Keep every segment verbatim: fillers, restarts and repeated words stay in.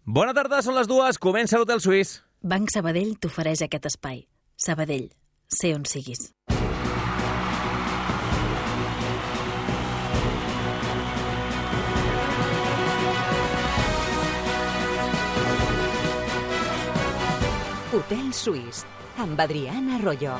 Bona tarda, són les dues, comença l'Hotel Suís. Banc Sabadell t'ofereix aquest espai. Sabadell, sé on siguis. Hotel Suís, amb Adriana Arroyo.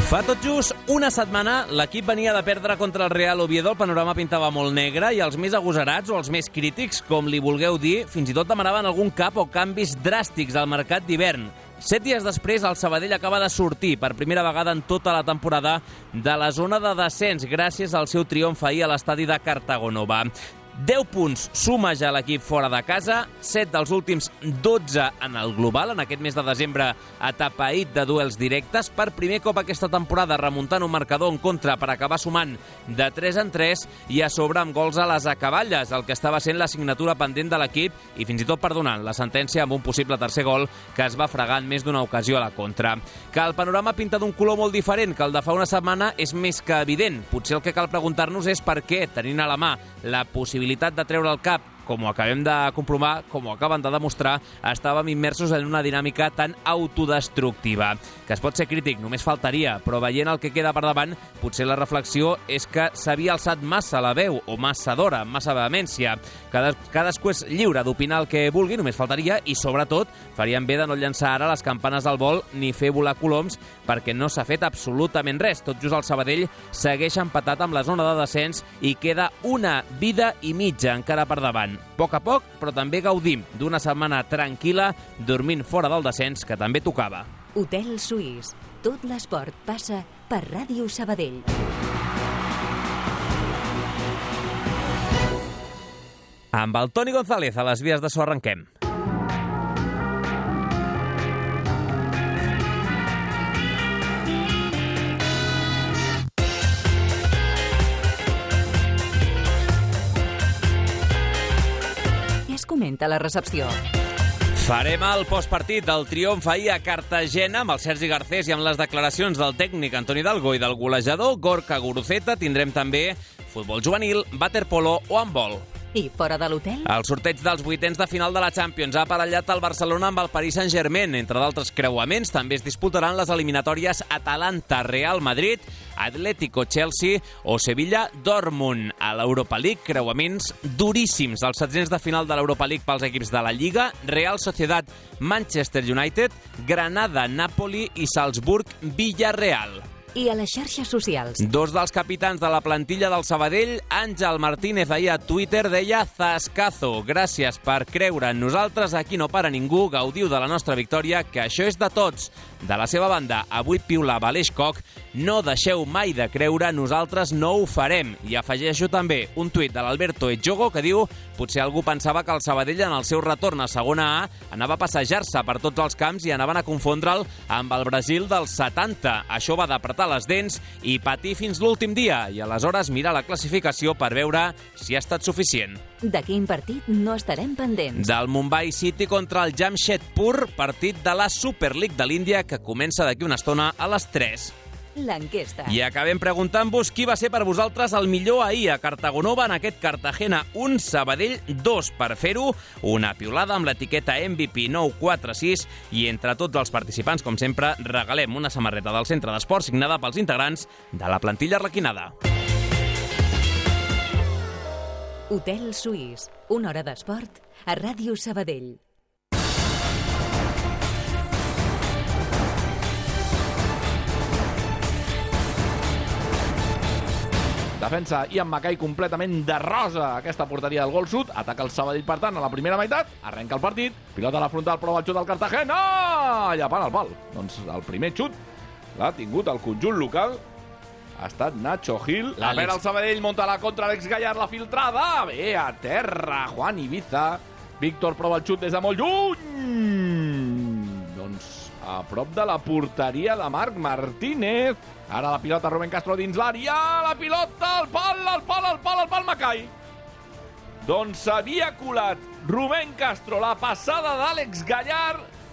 Fa tot just una setmana l'equip venia de perdre contra el Real Oviedo, el panorama pintava molt negre i els més agosarats o els més crítics, com li vulgueu dir, fins i tot demanaven algun cap o canvis dràstics al mercat d'hivern. Set dies després, el Sabadell acaba de sortir per primera vegada en tota la temporada de la zona de descens gràcies al seu triomf ahir a l'estadi de Cartagonova. deu punts suma ja l'equip fora de casa, set dels últims dotze en el global, en aquest mes de desembre atapeït de duels directes, per primer cop aquesta temporada remuntant un marcador en contra per acabar sumant de tres en tres i a sobre amb gols a les acaballes, el que estava sent la signatura pendent de l'equip i fins i tot perdonant la sentència amb un possible tercer gol que es va fregar en més d'una ocasió a la contra. Que el panorama pinta d'un color molt diferent que el de fa una setmana és més que evident. Potser el que cal preguntar-nos és per què, tenint a la mà la possibilitat de treure el cap, com ho acabem de comprovar, com ho acaben de demostrar, estàvem immersos en una dinàmica tan autodestructiva. Que es pot ser crític, només faltaria, però veient el que queda per davant, potser la reflexió és que s'havia alçat massa la veu, o massa d'hora, amb massa vehemència. Cada, cadascú és lliure d'opinar el que vulgui, només faltaria, i sobretot farien bé de no llançar ara les campanes al vol ni fer volar coloms, perquè no s'ha fet absolutament res. Tot just el Sabadell segueix empatat amb la zona de descens i queda una vida i mitja encara per davant. A poc a poc, però també gaudim d'una setmana tranquil·la, dormint fora del descens, que també tocava. Hotel Suís. Tot l'esport passa per Ràdio Sabadell. Amb el Toni González a les vies de so arrenquem. Comenta la recepció. Farem el postpartit del triomf ahir a Cartagena amb el Sergi Garcés i amb les declaracions del tècnic Antoni Dalgo i del golejador Gorka Guruceta. Tindrem també futbol juvenil, waterpolo o handbol. I fora de l'hotel? El sorteig dels vuitens de final de la Champions ha aparellat el Barcelona amb el Paris Saint-Germain. Entre d'altres creuaments, també es disputaran les eliminatòries Atalanta-Real Madrid, Atlético-Chelsea o Sevilla-Dortmund. A l'Europa League, creuaments duríssims. Els setzents de final de l'Europa League pels equips de la Lliga, Real Sociedad-Manchester United, Granada-Napoli i Salzburg-Villarreal. I a les xarxes socials. Dos dels capitans de la plantilla del Sabadell, Àngel Martínez, ahir a Twitter deia «Zascazo, gràcies per creure en nosaltres, aquí no para ningú, gaudiu de la nostra victòria, que això és de tots». De la seva banda, avui piula Aleix Koch, «No deixeu mai de creure, nosaltres no ho farem». I afegeixo també un tuit de l'Alberto Ejogo que diu «Potser algú pensava que el Sabadell en el seu retorn a segona A anava a passejar-se per tots els camps i anaven a confondre'l amb el Brasil dels setanta. Això va d'apretar les dents i patir fins l'últim dia i aleshores mirar la classificació per veure si ha estat suficient». De quin partit no estarem pendents? Del Mumbai City contra el Jamshedpur, partit de la Super League de l'Índia que comença d'aquí una estona a les tres. L'enquesta. I acabem preguntant-vos qui va ser per vosaltres el millor ahir a Cartagonova en aquest Cartagena un, Sabadell dos. Per fer-ho, una piulada amb l'etiqueta M V P nou quatre sis i entre tots els participants, com sempre, regalem una samarreta del Centre d'Esport signada pels integrants de la plantilla arlequinada. Hotel Suís. Una hora d'esport a Ràdio Sabadell. Defensa Ian Mackay completament de rosa aquesta porteria del gol sud. Ataca el Sabadell, per tant, a la primera meitat. Arrenca el partit. Pilota a la frontal, prova el xut del Cartagena. Llepant el pal. Doncs el primer xut l'ha tingut el conjunt local. Ha estat Nacho Gil. La pera el Sabadell, monta la contra Alex Gallard, la filtrada. Bé, a terra, Juan Ibiza. Víctor prova el xut des de molt lluny. Doncs a prop de la porteria de Marc Martínez. Ara la pilota Rubén Castro dins l'àrea. La pilota, al pal, al pal, al pal, al pal, Mackay. Doncs s'havia colat Rubén Castro la passada d'Àlex Gallard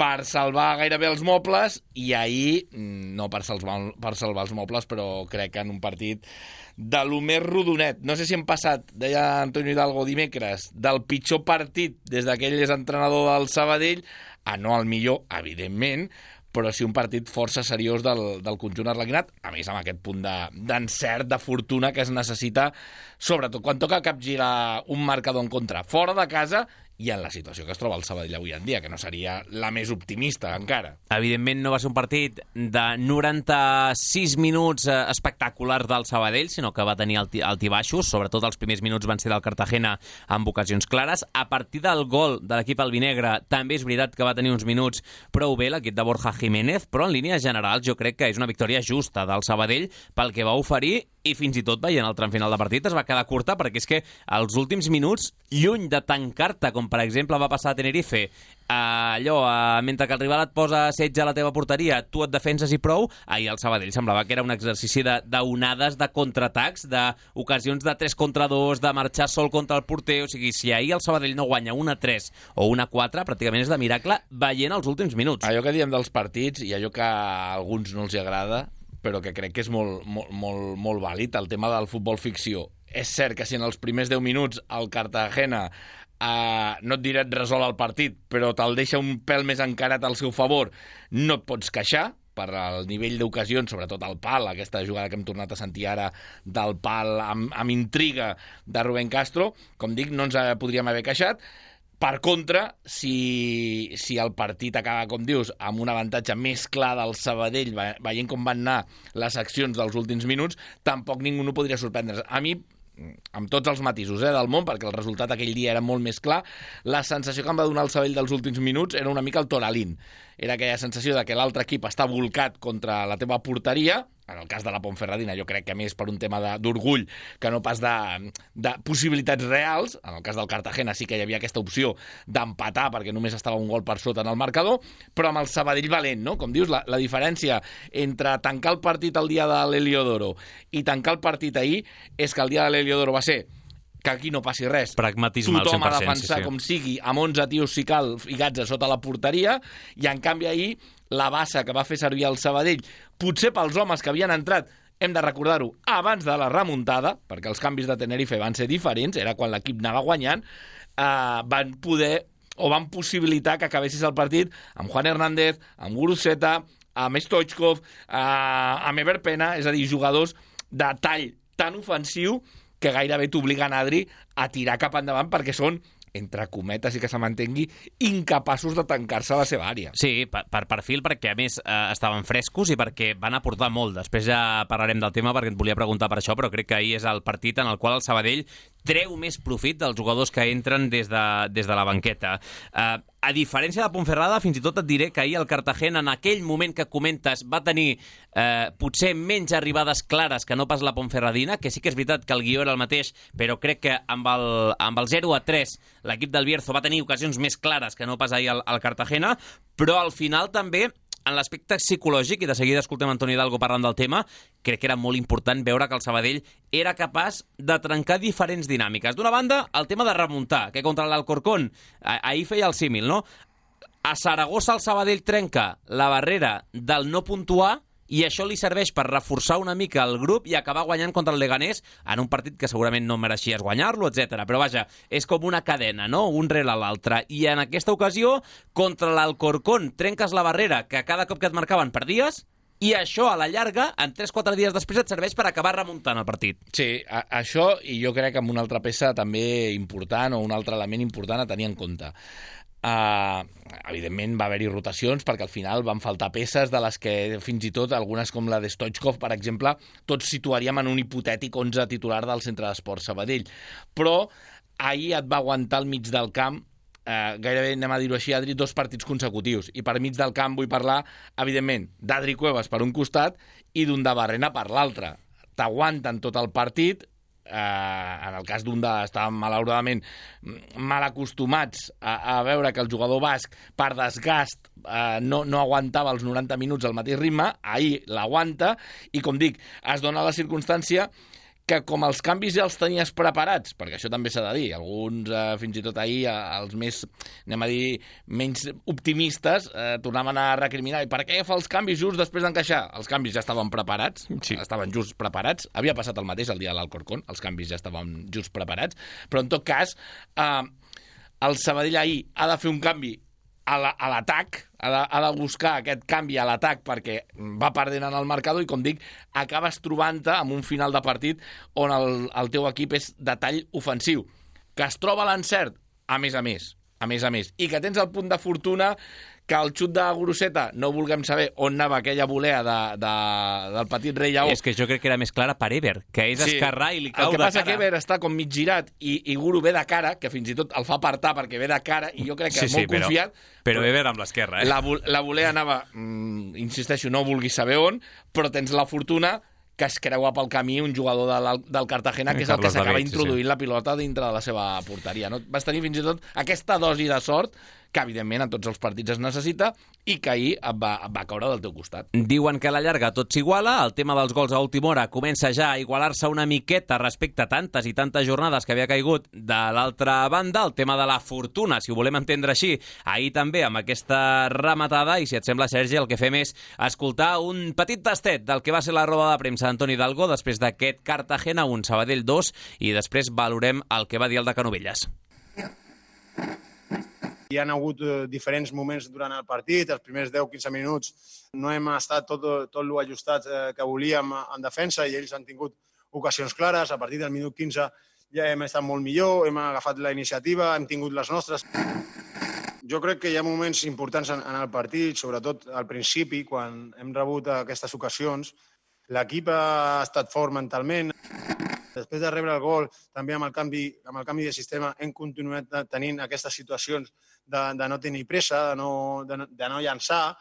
per salvar gairebé els mobles, i ahir, no per salvar, per salvar els mobles, però crec que en un partit de lo més rodonet. No sé si hem passat, deia Antonio Hidalgo dimecres, del pitjor partit des d'aquell és entrenador del Sabadell a no al millor, evidentment, però sí un partit força seriós del, del conjunt arlequinat, a més amb aquest punt d'encert, de, de fortuna que es necessita, sobretot quan toca capgirar un marcador en contra fora de casa i en la situació que es troba el Sabadell avui en dia, que no seria la més optimista encara. Evidentment no va ser un partit de noranta-sis minuts espectaculars del Sabadell, sinó que va tenir altibaixos, sobretot els primers minuts van ser del Cartagena amb ocasions clares. A partir del gol de l'equip albinegre també és veritat que va tenir uns minuts prou bé l'equip de Borja Jiménez, però en línies generals jo crec que és una victòria justa del Sabadell pel que va oferir, i fins i tot veient el tram final de partit es va quedar curta, perquè és que els últims minuts, lluny de tancar-te, com per exemple va passar a Tenerife, allò, mentre que el rival et posa setge a la teva porteria, tu et defenses i prou, ahir el Sabadell semblava que era un exercici d'onades, de, de contraatacs, d'ocasions de tres contra dos, de marxar sol contra el porter. O sigui, si ahir el Sabadell no guanya un a tres o un a quatre, pràcticament és de miracle veient els últims minuts. Allò que diem dels partits, i allò que a alguns no els agrada, però que crec que és molt, molt, molt, molt vàlid, el tema del futbol ficció. És cert que si en els primers deu minuts el Cartagena, eh, no et diré et resol el partit, però te'l deixa un pèl més encarat al seu favor, no et pots queixar per el nivell d'ocasions, sobretot al pal, aquesta jugada que hem tornat a sentir ara del pal amb, amb intriga de Rubén Castro. Com dic, no ens podríem haver queixat. Per contra, si, si el partit acaba, com dius, amb un avantatge més clar del Sabadell, veient com van anar les accions dels últims minuts, tampoc ningú no podria sorprendre's. A mi, amb tots els matisos eh, del món, perquè el resultat aquell dia era molt més clar, la sensació que em va donar el Sabadell dels últims minuts era una mica el Toralín. Era aquella sensació de que l'altre equip està volcat contra la teva porteria. En el cas de la Ponferradina, jo crec que més per un tema d'orgull que no pas de, de possibilitats reals. En el cas del Cartagena sí que hi havia aquesta opció d'empatar perquè només estava un gol per sota en el marcador, però amb el Sabadell valent, no? Com dius, la, la diferència entre tancar el partit el dia de l'Heliodoro i tancar el partit ahir és que el dia de l'Heliodoro va ser que aquí no passi res. Pragmatisme al cent per cent. Tothom a defensar sí, sí. com sigui, amb onze tios si cal ficats a sota la porteria, i en canvi ahir la bassa que va fer servir el Sabadell, potser pels homes que havien entrat, hem de recordar-ho, abans de la remuntada, perquè els canvis de Tenerife van ser diferents, era quan l'equip anava guanyant, eh, van poder o van possibilitar que acabessis el partit amb Juan Hernández, amb Guruceta, amb Stoichkov, eh, amb Ever Pena, és a dir, jugadors de tall tan ofensiu que gairebé t'obliguen, Adri, a tirar cap endavant perquè són, entre cometes i que se mantengui, incapaços de tancar-se a la seva àrea. Sí, per, per perfil, perquè a més eh, estaven frescos i perquè van aportar molt. Després ja parlarem del tema perquè et volia preguntar per això, però crec que ahir és el partit en el qual el Sabadell treu més profit dels jugadors que entren des de, des de la banqueta. Eh, a diferència de Ponferrada, fins i tot et diré que ahir el Cartagena, en aquell moment que comentes, va tenir eh, potser menys arribades clares que no pas la Ponferradina, que sí que és veritat que el guió era el mateix, però crec que amb el, amb el zero a tres l'equip del Bierzo va tenir ocasions més clares que no pas ahir el, el Cartagena, però al final també en l'aspecte psicològic, i de seguida escoltem Antonio Hidalgo parlant del tema, crec que era molt important veure que el Sabadell era capaç de trencar diferents dinàmiques. D'una banda, el tema de remuntar, que contra l'Alcorcón, ahir feia el símil, no? A Saragossa el Sabadell trenca la barrera del no puntuar i això li serveix per reforçar una mica el grup i acabar guanyant contra el Leganés en un partit que segurament no mereixies guanyar-lo, etcètera. Però vaja, és com una cadena, no? Un rere l'altre. I en aquesta ocasió, contra l'Alcorcón, trenques la barrera que cada cop que et marcaven perdies, i això, a la llarga, en tres quatre dies després, et serveix per acabar remuntant el partit. Sí, a, això, i jo crec que amb una altra peça també important, o un altre element important a tenir en compte. Uh, evidentment va haver-hi rotacions perquè al final van faltar peces de les que fins i tot algunes com la de Stoichkov, per exemple, tots situaríem en un hipotètic onze titular del Centre d'Esports Sabadell, però ahir et va aguantar al mig del camp eh, gairebé, anem a dir-ho així, Adri, dos partits consecutius, i per mig del camp vull parlar evidentment d'Adri Cuevas per un costat i d'un de Barrena per l'altre. T'aguanten tot el partit. Uh, en el cas d'un de estaven malauradament mal acostumats a, a veure que el jugador basc per desgast uh, no, no aguantava els noranta minuts al mateix ritme. Ahir l'aguanta i, com dic, es dona la circumstància que com els canvis ja els tenies preparats, perquè això també s'ha de dir, alguns eh, fins i tot ahir, eh, els més, anem a dir, menys optimistes, eh, tornaven a recriminar, i per què fa els canvis just després d'encaixar? Els canvis ja estaven preparats, sí. estaven just preparats, havia passat el mateix el dia de l'Alcorcón, els canvis ja estaven just preparats, però en tot cas, eh, el Sabadell ahir ha de fer un canvi a l'atac, ha, de, ha de buscar aquest canvi a l'atac perquè va perdent en el marcador i, com dic, acabes trobant-te amb un final de partit on el, el teu equip és de tall ofensiu. Que es troba l'encert, a més a més, a més a més, i que tens el punt de fortuna que el xut de Guruceta no vulguem saber on anava aquella volea de, de, del petit rei Lleó. És que jo crec que era més clara per Eber, que és sí. esquerrà i li cau de cara. El que passa que Eber està com mig girat i, i Guru ve de cara, que fins i tot el fa apartar perquè ve de cara, i jo crec que sí, molt sí, però, confiat. Però Eber amb l'esquerra, eh? La, la volea anava, mm, insisteixo, no vulguis saber on, però tens la fortuna que es creua pel camí un jugador del, del Cartagena, que és el que s'acaba introduint sí. la pilota dintre de la seva porteria. No? Vas tenir fins i tot aquesta dosi de sort que, evidentment, en tots els partits es necessita i que ahir et va, et va caure del teu costat. Diuen que a la llarga tot s'iguala, el tema dels gols a última hora comença ja a igualar-se una miqueta respecte a tantes i tantes jornades que havia caigut de l'altra banda, el tema de la fortuna, si ho volem entendre així, ahir també amb aquesta rematada, i si et sembla, Sergi, el que fem és escoltar un petit tastet del que va ser la roda de premsa d'Antoni Hidalgo després d'aquest Cartagena un, Sabadell dos, i després valorem el que va dir el de Canovelles. Hi ha hagut eh, diferents moments durant el partit, els primers deu a quinze minuts no hem estat tot, tot lo ajustats eh, que volíem en defensa i ells han tingut ocasions clares. A partir del minut quinze ja hem estat molt millor, hem agafat la iniciativa, hem tingut les nostres. Jo crec que hi ha moments importants en, en el partit, sobretot al principi, quan hem rebut aquestes ocasions. L'equip ha estat fort mentalment. Després de rebre el gol, també amb el canvi, amb el canvi de sistema, hem continuat tenint aquestes situacions de, de no tenir pressa, de no, de, de no llançar.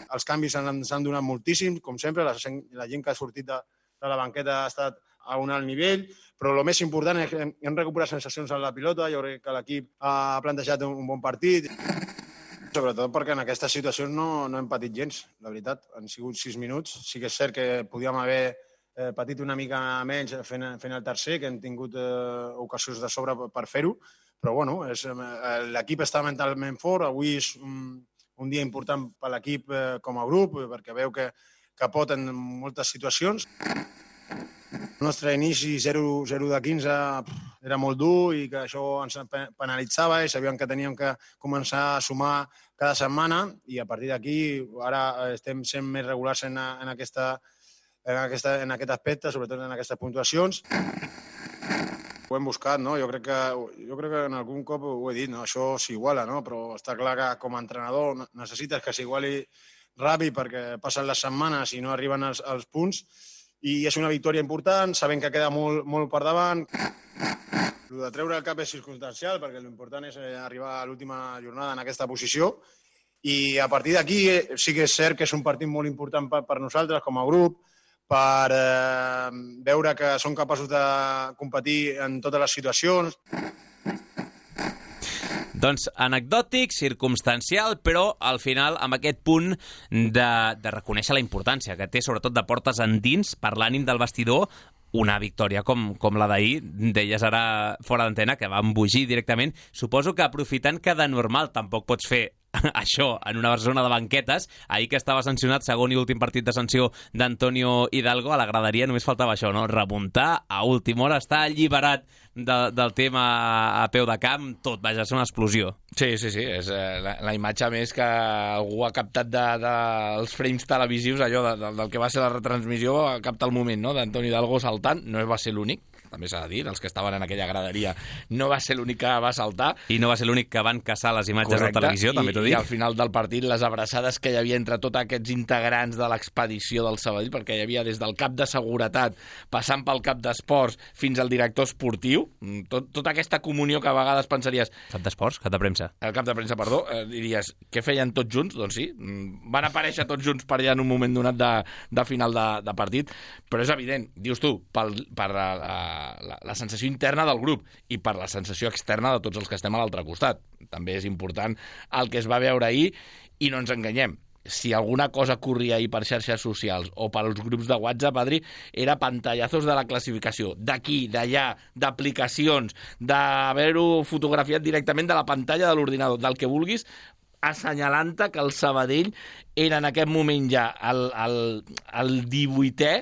Els canvis s'han donat moltíssim, com sempre, la, la gent que ha sortit de, de la banqueta ha estat a un alt nivell, però el més important és que hem recuperat sensacions en la pilota, jo crec que l'equip ha plantejat un, un bon partit, sobretot perquè en aquestes situacions no, no hem patit gens, la veritat. Han sigut sis minuts, sí que és cert que podíem haver eh, patit una mica menys fent, fent el tercer, que hem tingut eh, ocasions de sobre per fer-ho, però bueno, és, eh, l'equip està mentalment fort, avui és un, un dia important per l'equip eh, com a grup, perquè veu que, que pot en moltes situacions. El nostre inici zero de quinze era molt dur i que això ens penalitzava i sabíem que teníem que començar a sumar cada setmana i a partir d'aquí ara estem sent més regulars en, en, aquesta, en, aquesta, en aquest aspecte, sobretot en aquestes puntuacions. Ho hem buscat, no? Jo crec que, jo crec que en algun cop ho he dit, no? Això s'iguala, no? Però està clar que com a entrenador necessites que s'iguali ràpid perquè passen les setmanes i no arriben els, els punts. I és una victòria important, sabem que queda molt, molt per davant. El de treure el cap és circumstancial, perquè l'important és arribar a l'última jornada en aquesta posició. I a partir d'aquí sí que és cert que és un partit molt important per, per nosaltres com a grup, per eh, veure que som capaços de competir en totes les situacions. Doncs anecdòtic, circumstancial, però al final amb aquest punt de, de reconèixer la importància que té, sobretot de portes endins, per l'ànim del vestidor, una victòria com, com la d'ahir, deies ara fora d'antena, que va embogir directament. Suposo que aprofitant que de normal tampoc pots fer això en una zona de banquetes, ahir que estava sancionat, segon i últim partit de sanció d'Antonio Hidalgo, a la graderia només faltava això, no? Remuntar a última hora, estar alliberat de, del tema a peu de camp, tot, vaja, és una explosió. Sí, sí, sí, és eh, la, la imatge més que algú ha captat dels de, de frames televisius, allò de, de, del que va ser la retransmissió, ha captat el moment, no?, d'Antonio Hidalgo saltant, no va ser l'únic, també s'ha de dir, els que estaven en aquella graderia no va ser l'únic que va saltar. I no va ser l'únic que van caçar les imatges Correcte. De televisió, també t'ho dic. I al final del partit, les abraçades que hi havia entre tots aquests integrants de l'expedició del Sabadell, perquè hi havia des del cap de seguretat, passant pel cap d'esports, fins al director esportiu, tot, tota aquesta comunió que a vegades pensaries... Cap d'esports? Cap de premsa? El cap de premsa, perdó. Eh, diries, què feien tots junts? Doncs sí, van aparèixer tots junts per allà en un moment donat de, de final de, de partit, però és evident, dius tu, pel, per la, la, la sensació interna del grup i per la sensació externa de tots els que estem a l'altre costat. També és important el que es va veure ahir i no ens enganyem. si alguna cosa corria ahir per xarxes socials o pels grups de WhatsApp, Adri, era pantallazos de la classificació, d'aquí, d'allà, d'aplicacions, d'haver-ho fotografiat directament de la pantalla de l'ordinador, del que vulguis, assenyalant-te que el Sabadell era en aquest moment ja el, el, el divuitè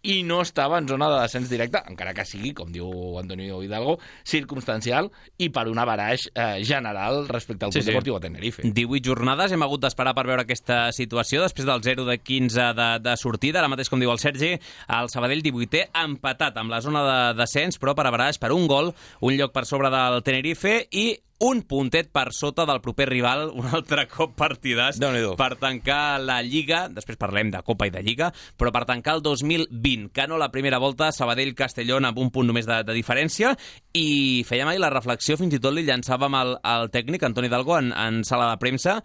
i no estava en zona de descens directe, encara que sigui, com diu Antonio Hidalgo, circumstancial i per un averaix eh, general respecte al Club sí, sí. Deportiu a Tenerife. divuit jornades, hem hagut d'esperar per veure aquesta situació, després del zero de quinze de, de sortida, ara mateix, com diu el Sergi, el Sabadell divuitè empatat amb la zona de descens, però per averaix per un gol, un lloc per sobre del Tenerife i un puntet per sota del proper rival, un altre cop partidàs per tancar la Lliga, després parlem de Copa i de Lliga, però per tancar el dos mil vint, que no la primera volta, Sabadell-Castellón amb un punt només de, de diferència, i fèiem ahir la reflexió, fins i tot li llançàvem al, al tècnic, Antoni Hidalgo, en, en sala de premsa.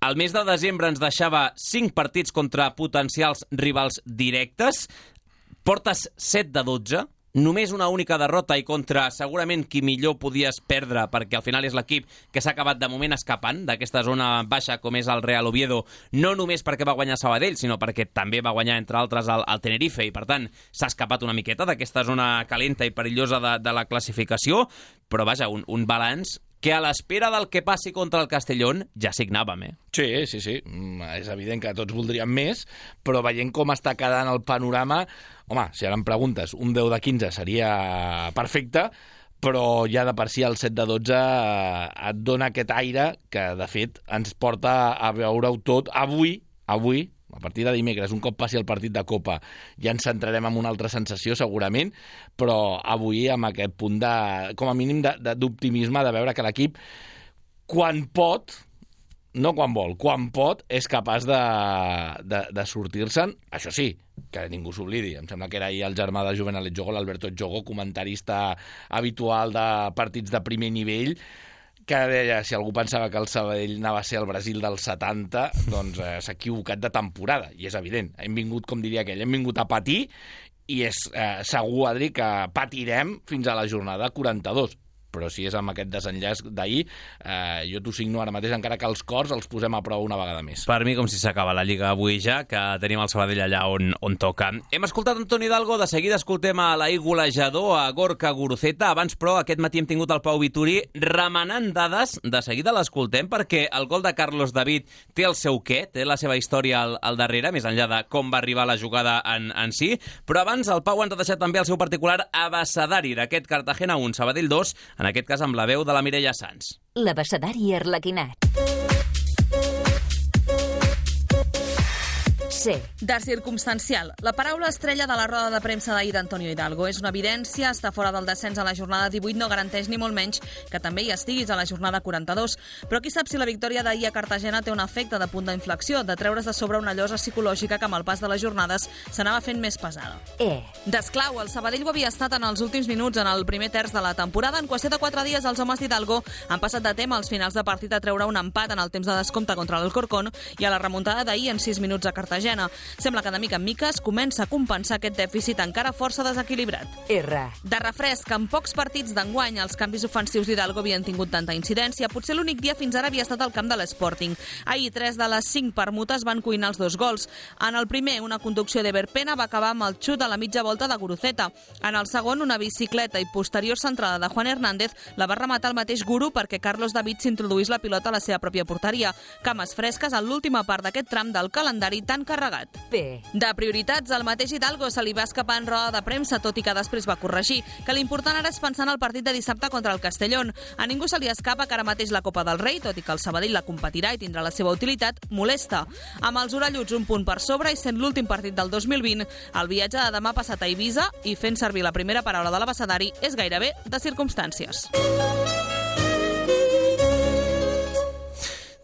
El mes de desembre ens deixava cinc partits contra potencials rivals directes, portes set de dotze, només una única derrota i contra segurament qui millor podies perdre, perquè al final és l'equip que s'ha acabat de moment escapant d'aquesta zona baixa com és el Real Oviedo, no només perquè va guanyar Sabadell, sinó perquè també va guanyar, entre altres, el, el Tenerife, i per tant s'ha escapat una miqueta d'aquesta zona calenta i perillosa de, de la classificació, però vaja, un, un balanç que a l'espera del que passi contra el Castellón ja signàvem, eh? Sí, sí, sí. És evident que tots voldríem més, però veient com està quedant el panorama, home, si ara em preguntes, un deu de quinze seria perfecte, però ja de per si el set de dotze et dona aquest aire que, de fet, ens porta a veure-ho tot avui, avui, a partir de dimecres, un cop passi el partit de Copa, ja ens centrarem en una altra sensació, segurament, però avui amb aquest punt de, com a mínim, d'optimisme, de, de veure que l'equip, quan pot, no quan vol, quan pot, és capaç de, de, de sortir-se'n. Això sí, que ningú s'oblidi. Em sembla que era ahir el germà de Juvenal Jogo, l'Alberto Jogo, comentarista habitual de partits de primer nivell, que deia, si algú pensava que el Sabadell anava a ser el Brasil dels setanta, doncs eh, s'ha equivocat de temporada, i és evident. Hem vingut, com diria aquell, hem vingut a patir, i és eh, segur, Adri, que patirem fins a la jornada quaranta-dos. Però si és amb aquest desenllaç d'ahir, eh, jo t'ho signo ara mateix, encara que els cors els posem a prova una vegada més. Per mi, com si s'acaba la Lliga avui ja, que tenim el Sabadell allà on, on toca. Hem escoltat Antoni Hidalgo, de seguida escoltem a l'ahir golejador, a Gorka Guruceta. Abans, però, aquest matí hem tingut el Pau Vituri remenant dades, de seguida l'escoltem, perquè el gol de Carlos David té el seu què, té la seva història al, al darrere, més enllà de com va arribar la jugada en, en si. Però abans, el Pau ens ha deixat també el seu particular abecedari d'aquest Cartagena un, Sabadell dos, en aquest cas amb la veu de la Mireia Sans. L'abecedari arlequinat. C. De circumstancial. La paraula estrella de la roda de premsa d'ahir d'Antonio Hidalgo. És una evidència, estar fora del descens a la jornada divuit no garanteix ni molt menys que també hi estiguis a la jornada quaranta-dos. Però qui sap si la victòria d'ahir a Cartagena té un efecte de punt d'inflexió, de treure's de sobre una llosa psicològica que amb el pas de les jornades s'anava fent més pesada. E. D'esclau, el Sabadell ho havia estat en els últims minuts en el primer terç de la temporada. En qüestió de quatre dies, els homes d'Hidalgo han passat de tema als finals de partit a treure un empat en el temps de descompte contra l'Alcorcón i a la remuntada d'ahir en sis minuts a Cartagena. Sembla que de mica en mica es comença a compensar aquest dèficit encara força desequilibrat. R. De refresc, en pocs partits d'enguany els canvis ofensius d'Hidalgo havien tingut tanta incidència. Potser l'únic dia fins ara havia estat el camp de l'Sporting. Ahir, tres de les cinc permutes van cuinar els dos gols. En el primer, una conducció de Verpena va acabar amb el xut a la mitja volta de Guruceta. En el segon, una bicicleta i posterior centrada de Juan Hernández la va rematar el mateix Guru perquè Carlos David s'introduís la pilota a la seva pròpia porteria. Cames fresques en l'última part d'aquest tram del calendari tan carregat. P. De prioritats, el mateix Hidalgo se li va escapar en roda de premsa, tot i que després va corregir, que l'important ara és pensar en el partit de dissabte contra el Castellón. A ningú se li escapa que ara mateix la Copa del Rei, tot i que el Sabadell la competirà i tindrà la seva utilitat, molesta. Amb els orelluts un punt per sobre i sent l'últim partit del dos mil vint, el viatge de demà passat a Eivissa i fent servir la primera paraula de l'abecedari és gairebé de circumstàncies.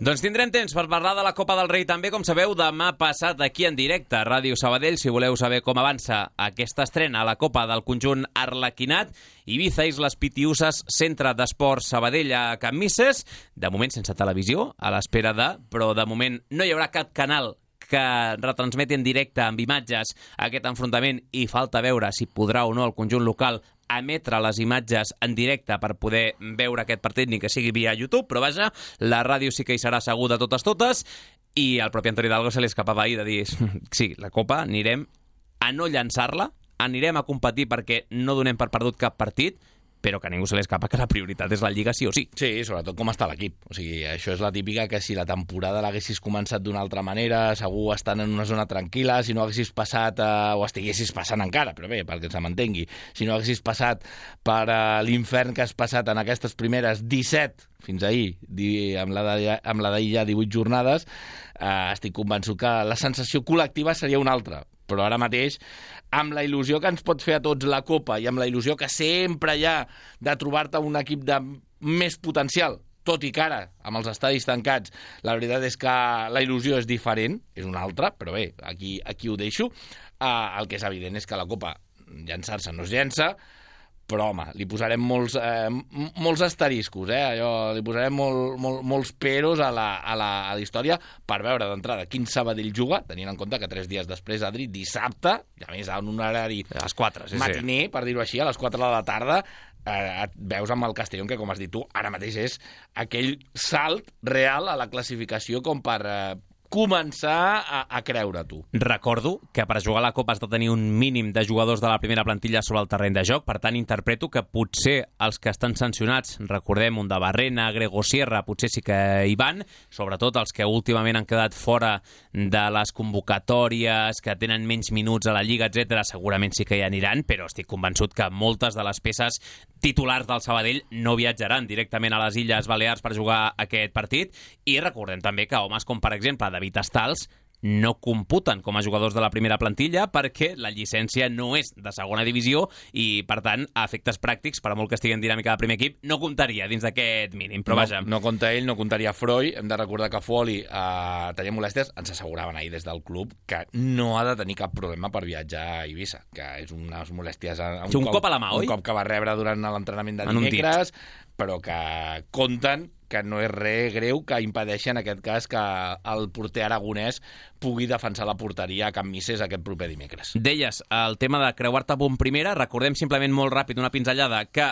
Doncs tindrem temps per parlar de la Copa del Rei també, com sabeu, demà passat aquí en directe a Ràdio Sabadell. Si voleu saber com avança aquesta estrena a la Copa del conjunt arlequinat, Ibiza Islas Pitiusas, centre d'esports Sabadell a Can Misses, de moment sense televisió, a l'espera de, però de moment no hi haurà cap canal que retransmeti en directe amb imatges aquest enfrontament i falta veure si podrà o no el conjunt local emetre les imatges en directe per poder veure aquest partit, ni que sigui via YouTube, però vaja, la ràdio sí que hi serà segur de totes totes. I al propi Antoni Hidalgo se li escapava ahir de dir sí, la Copa anirem a no llançar-la, anirem a competir perquè no donem per perdut cap partit, però que a ningú se li escapa que la prioritat és la Lliga sí o sí. Sí, sobretot com està l'equip. O sigui, això és la típica que si la temporada l'haguessis començat d'una altra manera, segur estant en una zona tranquil·la, si no haguessis passat, eh, o estiguessis passant encara, però bé, perquè se m'entengui, si no haguessis passat per eh, l'infern que has passat en aquestes primeres disset, fins ahir, di, amb la d'ahir ja divuit jornades, eh, estic convençut que la sensació col·lectiva seria una altra. Però ara mateix, amb la il·lusió que ens pot fer a tots la Copa i amb la il·lusió que sempre hi ha de trobar-te un equip de més potencial, tot i que ara, amb els estadis tancats, la veritat és que la il·lusió és diferent, és una altra, però bé, aquí, aquí ho deixo. Uh, el que és evident és que la Copa llançar-se no es llença, però, home, li posarem molts, eh, molts asteriscos, eh? Allò, li posarem molt, molt, molts peros a la, a, la, a la història per veure d'entrada quin Sabadell juga, tenint en compte que tres dies després, Adri, dissabte, i a més en un horari a les quatre, sí, matiner, sí. per dir-ho així, a les quatre de la tarda, eh, et veus amb el Castellón, que com has dit tu, ara mateix és aquell salt real a la classificació com per eh, començar a, a creure tu. Recordo que per jugar a la Copa has de tenir un mínim de jugadors de la primera plantilla sobre el terreny de joc, per tant interpreto que potser els que estan sancionats, recordem un de Barrena, Grego Sierra, potser sí que hi van, sobretot els que últimament han quedat fora de les convocatòries, que tenen menys minuts a la Lliga, etcètera, segurament sí que hi aniran, però estic convençut que moltes de les peces titulars del Sabadell no viatjaran directament a les Illes Balears per jugar aquest partit, i recordem també que homes com, per exemple, David Estals no computen com a jugadors de la primera plantilla perquè la llicència no és de segona divisió i, per tant, a efectes pràctics, per a molt que estigui en dinàmica del primer equip, no comptaria dins d'aquest mínim. Però no, vaja. No compta ell, no comptaria Freud. Hem de recordar que Foli eh, tenia molèsties. Ens asseguraven ahir des del club que no ha de tenir cap problema per viatjar a Eivissa, que és unes molèsties... Un, sí, un cop, cop a la mà, oi? Un cop que va rebre durant l'entrenament de dimecres, però que compten que no és res greu que impedeixi en aquest cas que el porter aragonès pugui defensar la porteria a Can Misses aquest proper dimecres. Deies, el tema de creuar-te bon primera, recordem simplement molt ràpid una pinzellada, que